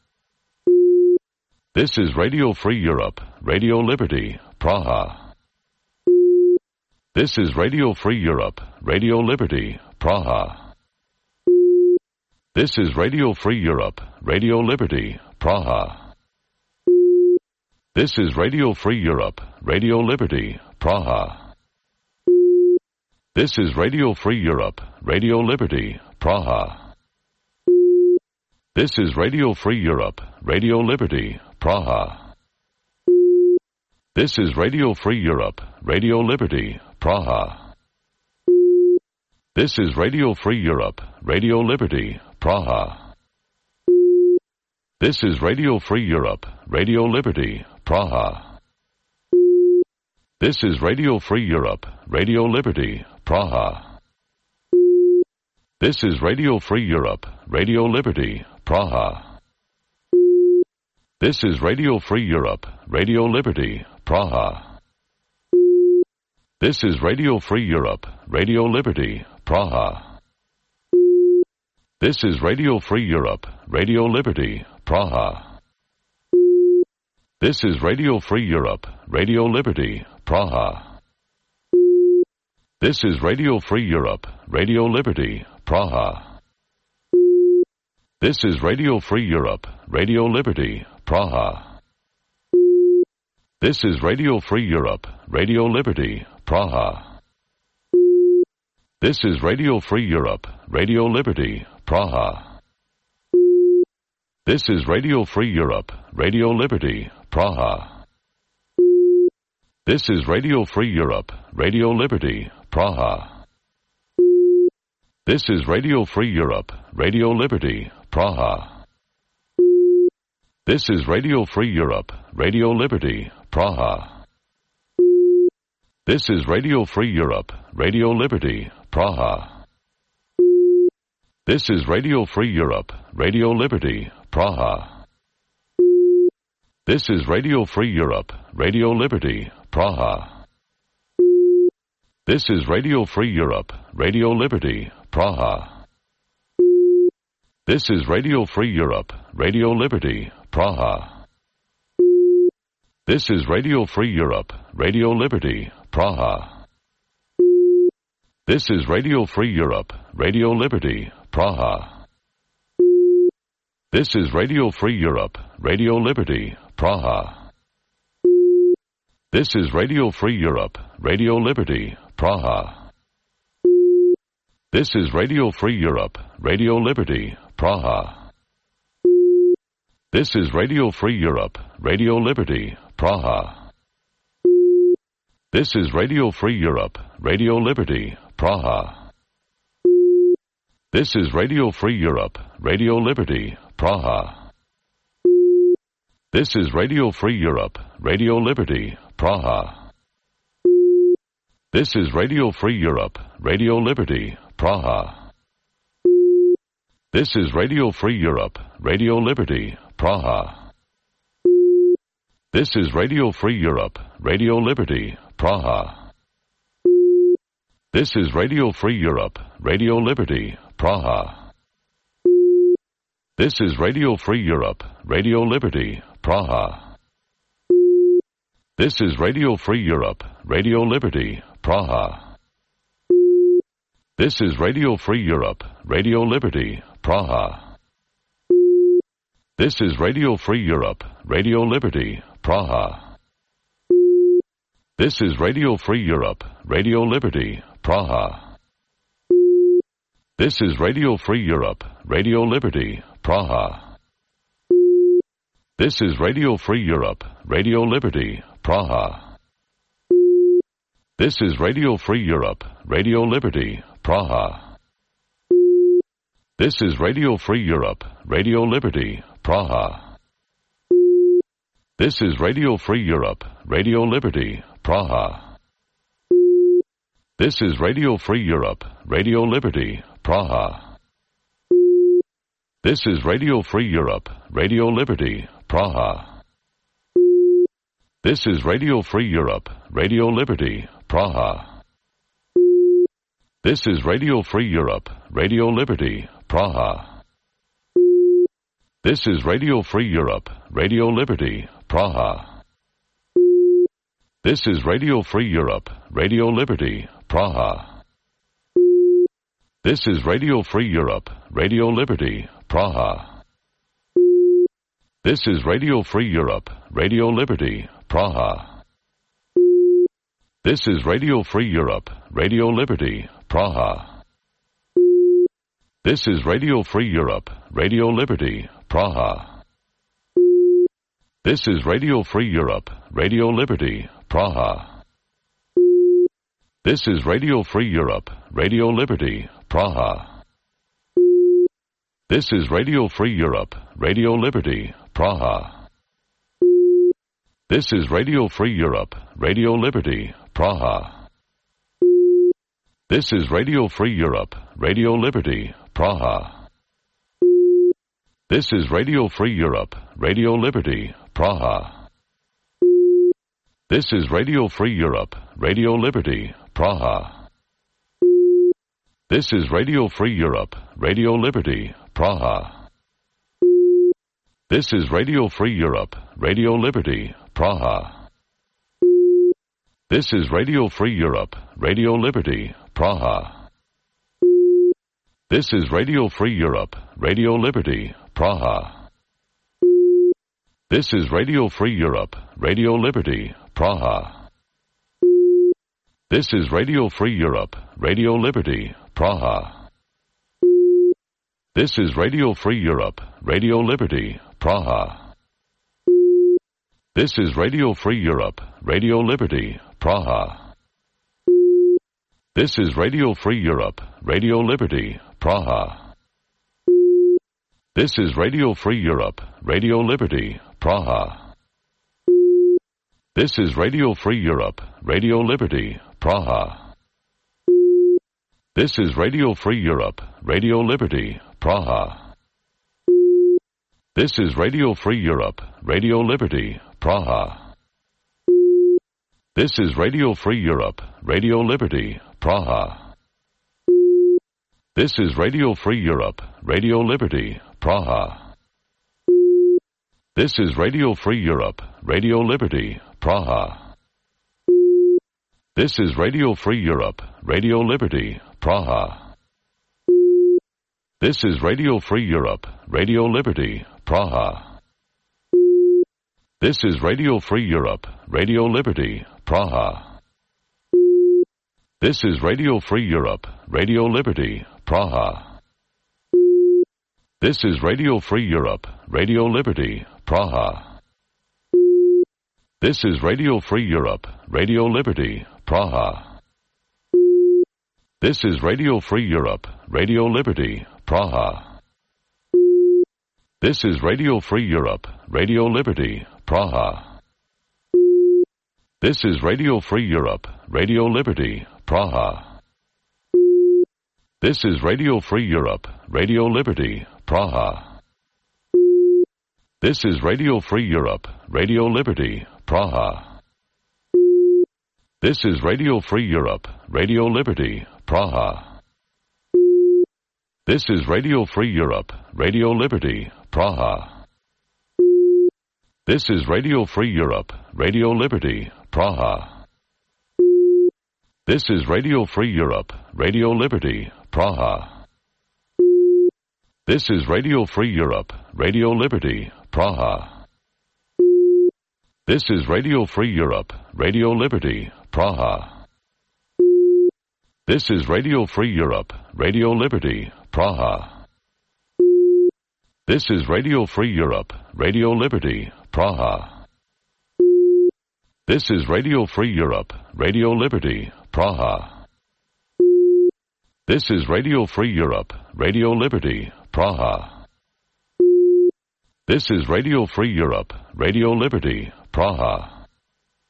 This is Radio Free Europe, Radio Liberty, Praha. This is Radio Free Europe, Radio Liberty, Praha. This is Radio Free Europe, Radio Liberty, Praha. This is Radio Free Europe, Radio Liberty, Praha. This is Radio Free Europe, Radio Liberty, Praha. This is Radio Free Europe, Radio Liberty, Praha. This is Radio Free Europe, Radio Liberty, Praha. This is Radio Free Europe, Radio Liberty, Praha. This is Radio Free Europe, Radio Liberty, Praha. This is Radio Free Europe, Radio Liberty, Praha. This is Radio Free Europe, Radio Liberty, Praha. This is Radio Free Europe, Radio Liberty, Praha. This is Radio Free Europe, Radio Liberty, Praha. This is Radio Free Europe, Radio Liberty, Praha. This is Radio Free Europe, Radio Liberty, Praha. This is Radio Free Europe, Radio Liberty, Praha. This is Radio Free Europe, Radio Liberty, Praha. This is Radio Free Europe, Radio Liberty, Praha. This is Radio Free Europe, Radio Liberty, Praha. This is Radio Free Europe, Radio Liberty, Praha. This is Radio Free Europe, Radio Liberty, Praha. This is Radio Free Europe, Radio Liberty, Praha. This is Radio Free Europe, Radio Liberty, Praha. This is Radio Free Europe, Radio Liberty, Praha. This is Radio Free Europe, Radio Liberty, Praha. This is Radio Free Europe, Radio Liberty, Praha. This is Radio Free Europe, Radio Liberty, Praha. This is Radio Free Europe, Radio Liberty, Praha. This is Radio Free Europe, Radio Liberty, Praha. This is Radio Free Europe, Radio Liberty, Praha. This is Radio Free Europe, Radio Liberty, Praha. This is Radio Free Europe, Radio Liberty, Praha. This is Radio Free Europe, Radio Liberty, Praha. This is Radio Free Europe, Radio Liberty, Praha. This is Radio Free Europe, Radio Liberty, Praha. This is Radio Free Europe, Radio Liberty, Praha. This is Radio Free Europe, Radio Liberty, Praha. This is Radio Free Europe, Radio Liberty, Praha. This is Radio Free Europe, Radio Liberty, Praha. This is Radio Free Europe, Radio Liberty, Praha. This is Radio Free Europe, Radio Liberty, Praha. This is Radio Free Europe, Radio Liberty, Praha. This is Radio Free Europe, Radio Liberty, Praha. This is Radio Free Europe, Radio Liberty, Praha. This is Radio Free Europe, Radio Liberty, Praha. This is Radio Free Europe, Radio Liberty, Praha. This is Radio Free Europe, Radio Liberty, Praha. This is Radio Free Europe, Radio Liberty, Praha. This is Radio Free Europe, Radio Liberty, Praha. This is Radio Free Europe, Radio Liberty, Praha. This is Radio Free Europe, Radio Liberty, Praha. This is Radio Free Europe, Radio Liberty, Praha. This is Radio Free Europe, Radio Liberty, Praha. This is Radio Free Europe, Radio Liberty, Praha. This is Radio Free Europe, Radio Liberty, Praha. This is Radio Free Europe, Radio Liberty, Praha. This is Radio Free Europe, Radio Liberty, Praha. This is Radio Free Europe, Radio Liberty, Praha. This is Radio Free Europe, Radio Liberty, Praha. This is Radio Free Europe, Radio Liberty, Praha. This is Radio Free Europe, Radio Liberty, Praha. This is Radio Free Europe, Radio Liberty, Praha. This is Radio Free Europe, Radio Liberty, Praha. This is Radio Free Europe, Radio Liberty, Praha. This is Radio Free Europe, Radio Liberty, Praha. This is Radio Free Europe, Radio Liberty, Praha. This is Radio Free Europe, Radio Liberty, Praha. This is Radio Free Europe, Radio Liberty, Praha. This is Radio Free Europe, Radio Liberty, Praha. This is Radio Free Europe, Radio Liberty, Praha. This is Radio Free Europe, Radio Liberty, Praha. This is Radio Free Europe, Radio Liberty, Praha. This is Radio Free Europe, Radio Liberty, Praha. This is Radio Free Europe, Radio Liberty, Praha. This is Radio Free Europe, Radio Liberty, Praha. This is Radio Free Europe, Radio Liberty, Praha. This is Radio Free Europe, Radio Liberty, Praha. This is Radio Free Europe, Radio Liberty, Praha. This is Radio Free Europe, Radio Liberty, Praha. This is Radio Free Europe, Radio Liberty, Praha. This is Radio Free Europe, Radio Liberty, Praha. This is Radio Free Europe, Radio Liberty, Praha. This is Radio Free Europe, Radio Liberty, Praha. This is Radio Free Europe, Radio Liberty, Praha. This is Radio Free Europe, Radio Liberty, Praha. This is Radio Free Europe, Radio Liberty, Praha. This is Radio Free Europe, Radio Liberty, Praha. This is Radio Free Europe, Radio Liberty, Praha. This is Radio Free Europe, Radio Liberty, Praha. This is Radio Free Europe, Radio Liberty, Praha. This is Radio Free Europe, Radio Liberty, Praha. This is Radio Free Europe, Radio Liberty, Praha. This is Radio Free Europe, Radio Liberty, Praha. This is Radio Free Europe, Radio Liberty, Praha. This is Radio Free Europe, Radio Liberty, Praha. This is Radio Free Europe, Radio Liberty, Praha. This is Radio Free Europe, Radio Liberty, Praha. This is Radio Free Europe, Radio Liberty, Praha. This is Radio Free Europe, Radio Liberty, Praha. This is Radio Free Europe, Radio Liberty, Praha. This is Radio Free Europe, Radio Liberty, Praha. This is Radio Free Europe, Radio Liberty, Praha. This is Radio Free Europe, Radio Liberty, Praha. This is Radio Free Europe, Radio Liberty, Praha. This is Radio Free Europe, Radio Liberty, Praha. This is Radio Free Europe, Radio Liberty, Praha.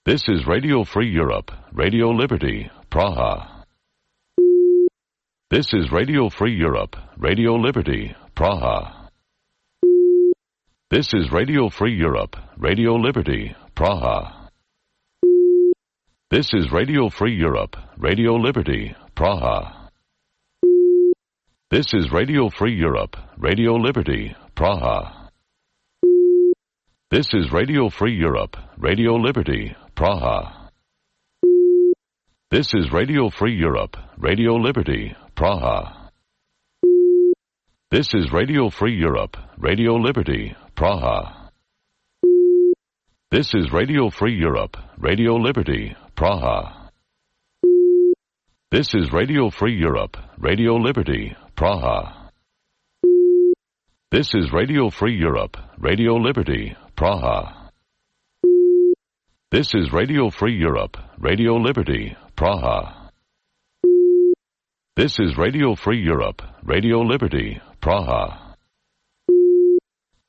This is Radio Free Europe, Radio Liberty, Praha. This is Radio Free Europe, Radio Liberty, Praha. This is Radio Free Europe, Radio Liberty, Praha. This is Radio Free Europe, Radio Liberty, Praha. This is Radio Free Europe, Radio Liberty, Praha. This is Radio Free Europe, Radio Liberty, Praha. This is Radio Free Europe, Radio Liberty, Praha. This is Radio Free Europe, Radio Liberty, Praha. This is Radio Free Europe, Radio Liberty, Praha. This is Radio Free Europe, Radio Liberty, Praha. This is Radio Free Europe, Radio Liberty, Praha. This is Radio Free Europe, Radio Liberty, Praha. This is Radio Free Europe, Radio Liberty, Praha.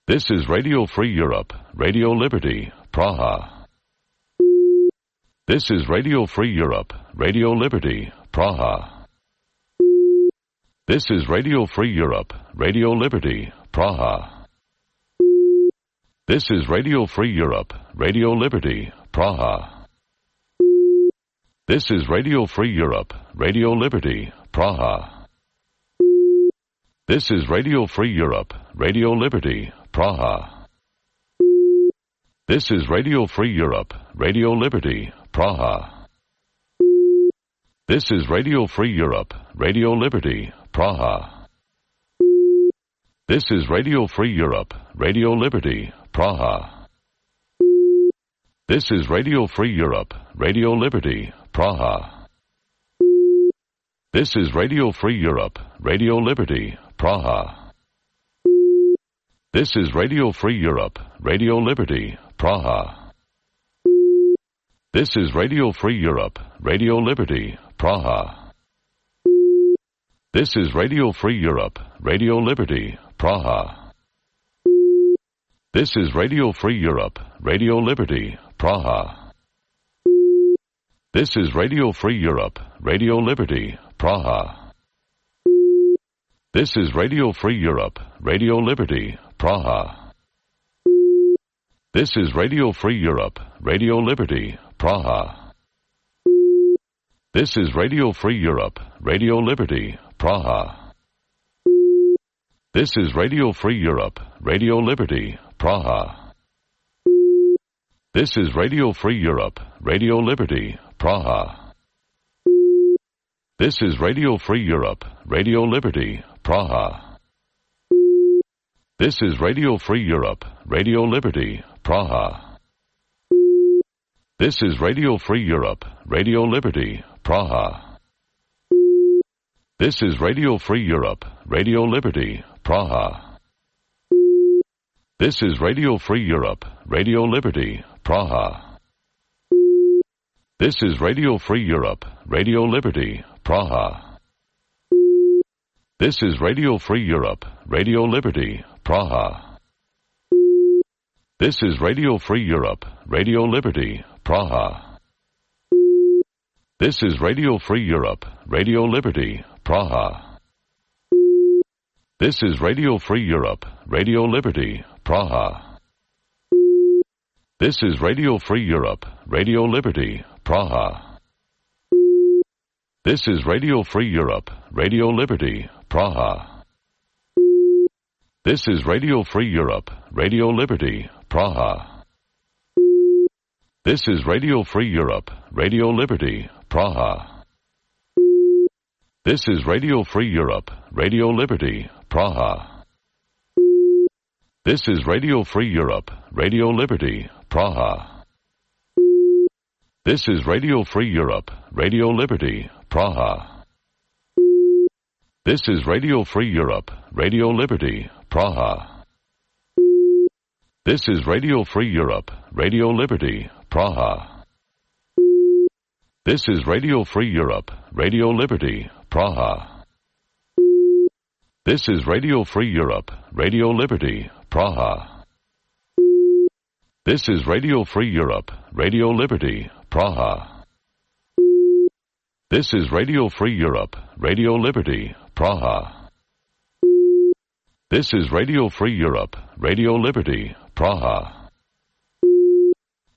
This is Radio Free Europe, Radio Liberty, Praha. This is Radio Free Europe, Radio Liberty, Praha. This is Radio Free Europe, Radio Liberty, Praha. This is Radio Free Europe, Radio Liberty, Praha. This is Radio Free Europe, Radio Liberty, Praha. This is Radio Free Europe, Radio Liberty, Praha. This is Radio Free Europe, Radio Liberty, Praha. This is Radio Free Europe, Radio Liberty, Praha. This is Radio Free Europe, Radio Liberty, Praha. This is Radio Free Europe, Radio Liberty, Praha. This is Radio Free Europe, Radio Liberty, Praha. This is Radio Free Europe, Radio Liberty, Praha. This is Radio Free Europe, Radio Liberty, Praha. This is Radio Free Europe, Radio Liberty, Praha. This is Radio Free Europe, Radio Liberty, Praha. This is Radio Free Europe, Radio Liberty, Praha. This is Radio Free Europe, Radio Liberty, Praha. This is Radio Free Europe, Radio Liberty, Praha. This is Radio Free Europe, Radio Liberty, Praha. This is Radio Free Europe, Radio Liberty, Praha. This is Radio Free Europe, Radio Liberty, Praha. This is Radio Free Europe, Radio Liberty, Praha. This is Radio Free Europe, Radio Liberty, Praha. This is Radio Free Europe, Radio Liberty, Praha. This is Radio Free Europe, Radio Liberty, Praha. This is Radio Free Europe, Radio Liberty, Praha. This is Radio Free Europe, Radio Liberty, Praha. This is Radio Free Europe, Radio Liberty, Praha. This is Radio Free Europe, Radio Liberty, Praha. This is Radio Free Europe, Radio Liberty, Praha. This is Radio Free Europe, Radio Liberty, Praha. This is Radio Free Europe, Radio Liberty, Praha. This is Radio Free Europe, Radio Liberty, Praha. This is Radio Free Europe, Radio Liberty, Praha. This is Radio Free Europe, Radio Liberty, Praha. This is Radio Free Europe, Radio Liberty, Praha. This is Radio Free Europe, Radio Liberty, Praha. This is Radio Free Europe, Radio Liberty, Praha. This is Radio Free Europe, Radio Liberty, Praha. This is Radio Free Europe, Radio Liberty, Praha. This is Radio Free Europe, Radio Liberty, Praha. This is Radio Free Europe, Radio Liberty, Praha. This is Radio Free Europe, Radio Liberty, Praha. This is Radio Free Europe, Radio Liberty, Praha. This is Radio Free Europe, Radio Liberty, Praha.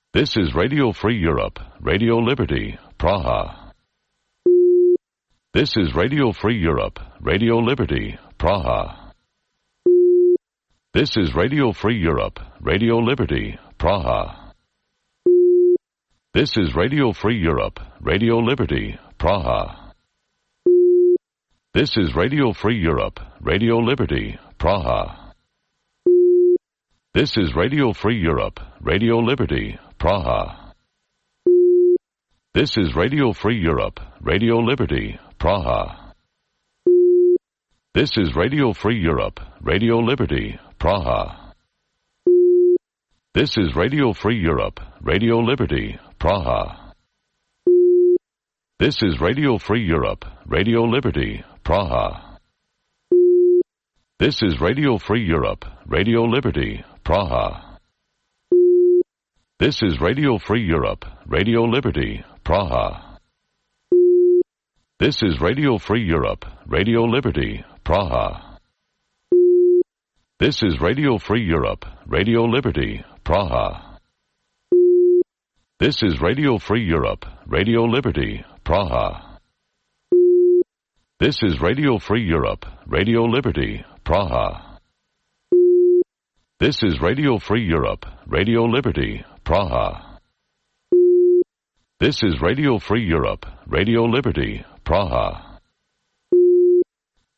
This is Radio Free Europe, Radio Liberty, Praha. This is Radio Free Europe, Radio Liberty, Praha. This is Radio Free Europe, Radio Liberty, Praha. This is Radio Free Europe, Radio Liberty, Praha. This is Radio Free Europe, Radio Liberty, Praha. This is Radio Free Europe, Radio Liberty, Praha. This is Radio Free Europe, Radio Liberty, Praha. This is Radio Free Europe, Radio Liberty, Praha. This is Radio Free Europe, Radio Liberty, Praha. This is Radio Free Europe, Radio Liberty, Praha. This is Radio Free Europe, Radio Liberty, Praha. This is Radio Free Europe, Radio Liberty, Praha. This is Radio Free Europe, Radio Liberty, Praha. This is Radio Free Europe, Radio Liberty, Praha. This is Radio Free Europe, Radio Liberty, Praha. This is Radio Free Europe, Radio Liberty, Praha. This is Radio Free Europe, Radio Liberty, Praha. This is Radio Free Europe, Radio Liberty, Praha.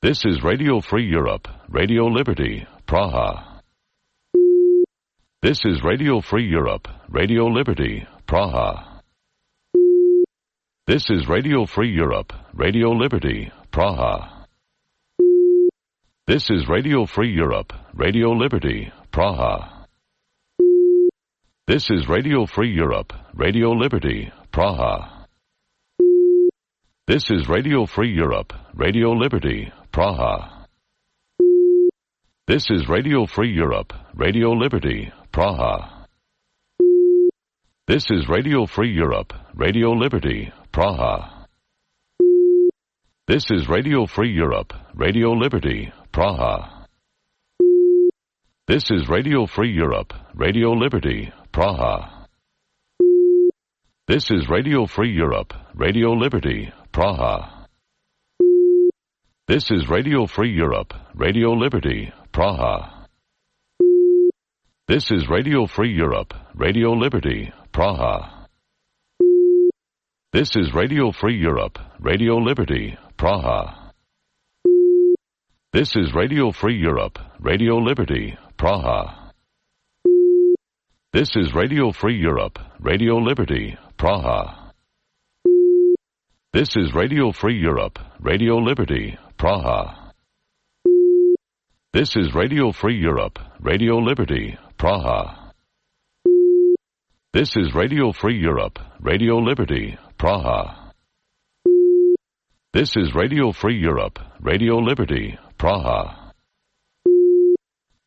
This is Radio Free Europe, Radio Liberty, Praha. This is Radio Free Europe, Radio Liberty, Praha. This is Radio Free Europe, Radio Liberty, Praha. This is Radio Free Europe, Radio Liberty, Praha. This is Radio Free Europe, Radio Liberty, Praha. This is Radio Free Europe, Radio Liberty, Praha. This is Radio Free Europe, Radio Liberty, Praha. This is Radio Free Europe, Radio Liberty, Praha. This is Radio Free Europe, Radio Liberty, Praha. This is Radio Free Europe, Radio Liberty, Praha. This is Radio Free Europe, Radio Liberty, Praha. This is Radio Free Europe, Radio Liberty, Praha. This is Radio Free Europe, Radio Liberty, Praha. This is Radio Free Europe, Radio Liberty, Praha. This is Radio Free Europe, Radio Liberty, Praha. This is Radio Free Europe, Radio Liberty, Praha. This is Radio Free Europe, Radio Liberty, Praha. This is Radio Free Europe, Radio Liberty, Praha. This is Radio Free Europe, Radio Liberty, Praha. This is Radio Free Europe, Radio Liberty, Praha.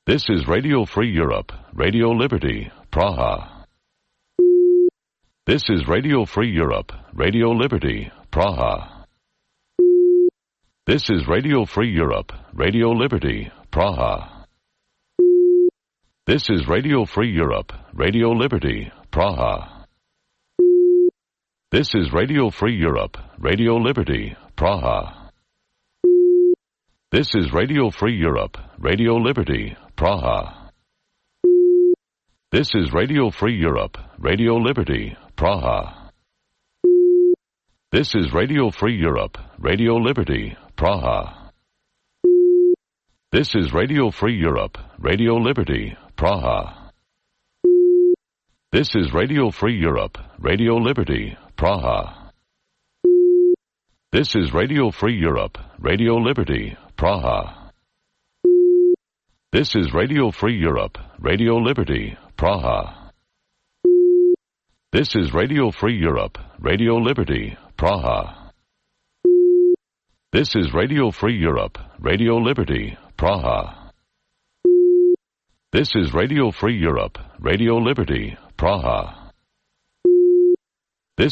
This is Radio Free Europe, Radio Liberty, Praha. This is Radio Free Europe, Radio Liberty, Praha. This is Radio Free Europe, Radio Liberty, Praha. This is Radio Free Europe, Radio Liberty, Praha. This is Radio Free Europe, Radio Liberty, Praha. This is Radio Free Europe, Radio Liberty, Praha. This is Radio Free Europe, Radio Liberty, Praha. This is Radio Free Europe, Radio Liberty, Praha. This is Radio Free Europe, Radio Liberty, Praha. This is Radio Free Europe, Radio Liberty, Praha. This is Radio Free Europe, Radio Liberty, Praha. This is Radio Free Europe, Radio Liberty, Praha. This is Radio Free Europe, Radio Liberty, Praha. This is Radio Free Europe, Radio Liberty, Praha. This is Radio Free Europe, Radio Liberty, Praha.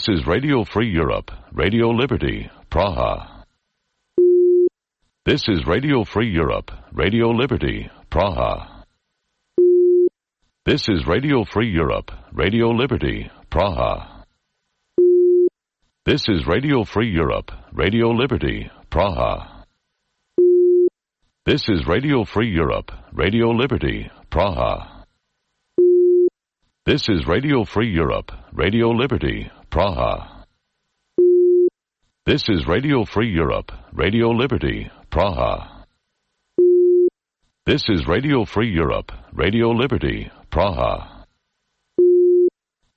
This is Radio Free Europe, Radio Liberty, Praha. This is Radio Free Europe, Radio Liberty, Praha. This is Radio Free Europe, Radio Liberty, Praha. This is Radio Free Europe, Radio Liberty, Praha. This is Radio Free Europe, Radio Liberty, Praha. This is Radio Free Europe, Radio Liberty, Praha. This is Radio Free Europe, Radio Liberty, Praha. This is Radio Free Europe, Radio Liberty, Praha.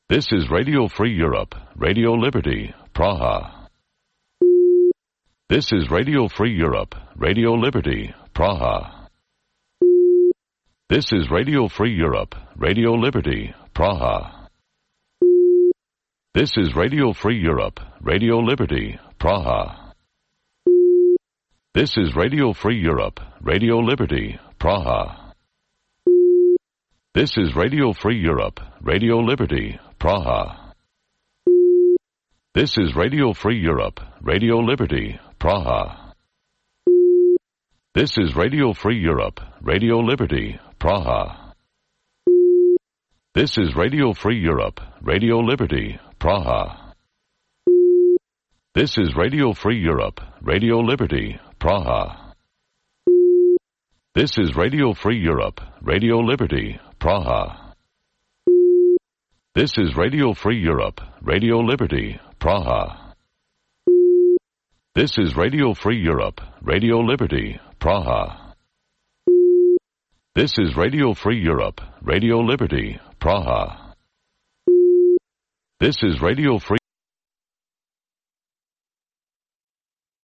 This is Radio Free Europe, Radio Liberty, Praha. This is Radio Free Europe, Radio Liberty, Praha. This is Radio Free Europe, Radio Liberty, Praha. This is Radio Free Europe, Radio Liberty, Praha. This is Radio Free Europe, Radio Liberty, Praha. This is Radio Free Europe, Radio Liberty, Praha. This is Radio Free Europe, Radio Liberty, Praha. This is Radio Free Europe, Radio Liberty, Praha. This is Radio Free Europe, Radio Liberty, Praha. This is Radio Free Europe, Radio Liberty, Praha. This is Radio Free Europe, Radio Liberty, Praha. This is Radio Free Europe, Radio Liberty, Praha. This is Radio Free Europe, Radio Liberty, Praha. This is Radio Free Europe, Radio Liberty, Praha. This is Radio Free